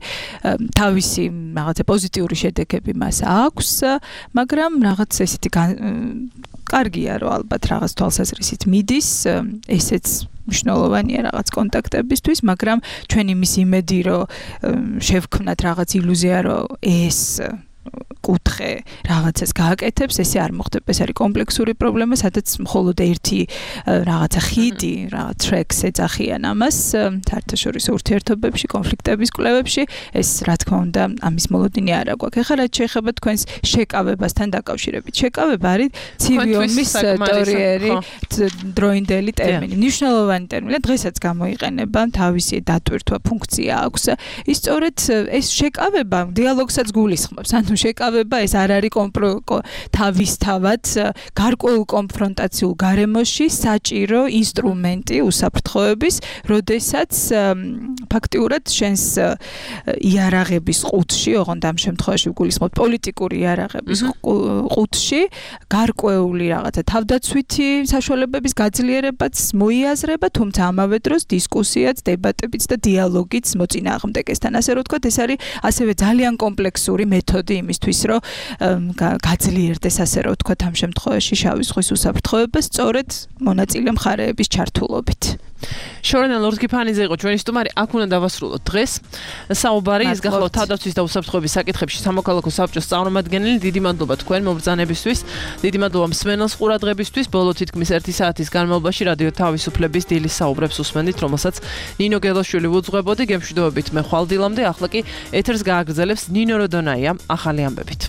თავისი რაღაცა პოზიტიური შედეგები მას აქვს, მაგრამ რაღაც ესეთი კარგია, რომ ალბათ რაღაც თვალსაზრისით მიდის, ესეც მნიშვნელოვანია რაღაც კონტაქტებისთვის, მაგრამ ჩვენ იმის იმედი, რომ შევქმნათ რაღაც ილუზია, რომ ეს კუთხე რაღაცას გააკეთებს, ესე არ მოხდება, ეს არის კომპლექსური პრობლემა, სადაც მხოლოდ ერთი რაღაცა ხიდი, რაღაც ტრეკს ეძახიან ამას საერთაშორისო ურთიერთობებში, კონფლიქტების კვლევებში, ეს რა თქმა უნდა ამის მოლოდინი არ აქვს. ეხლა რაც შეეხება თქვენს შეკავებასთან დაკავშირებით. შეკავება არის ცივი ომის ტერიტორიერი დროინდელი ტერმინი. მნიშვნელოვანი ტერმინი, დღესაც გამოიყენება, თავისი დატვირთვა ფუნქცია აქვს. ის სწორედ ეს შეკავება დიალოგსაც გულისხმობს. ანუ შეკავება ეს არ არის თავისთავად გარკვეულ კონფრონტაციულ გარემოში საჭირო ინსტრუმენტი უსაფრთხოების, როდესაც ფაქტიურად შენს იარაღების ყუთში, ოღონდ ამ შემთხვევაში გულისხმობ პოლიტიკური იარაღების ყუთში, გარკვეული რაღაცა თავდაცვითი საშუალებების გაძლიერებაც მოიაზრება, თუმცა ამავე დროს დისკუსიაც, დებატებიც და დიალოგიც მოწინააღმდეგესთან. ასე რომ ვთქვათ, ეს არის ასევე ძალიან კომპლექსური მეთოდი იმისთვის, რომ გაძლიერდეს, ასე რომ ვთქვათ, ამ შემთხვევაში შავი ზღვის უსაფრთხოება სწორედ მონაწილე მხარეების ჩართულობით. შორენა ლორდ-კიფანიძე იყო ჩვენი სტუმარი, აქ უნდა დავასრულოთ დღეს. საუბარი ის გახლავთ თავდაცვის და უსაფრთხოების საკითხებში სამოქალაქო საბჭოს წარმომადგენელი. დიდი მადლობა თქვენ მომბრძანებისთვის, დიდი მადლობა მსმენელს ყურადღებისთვის. ბოლო თითქმის 1 საათის განმავლობაში რადიო თავისუფლების დილის საუბრებს უსმენდით, რომელსაც ნინო გელოშვილი უძღვებოდი. გემშვიდობებით მე ხვალდილამდე, ახლა კი ეთერს გააგრძელებს ნინო როდონაია ახალი ამბებით.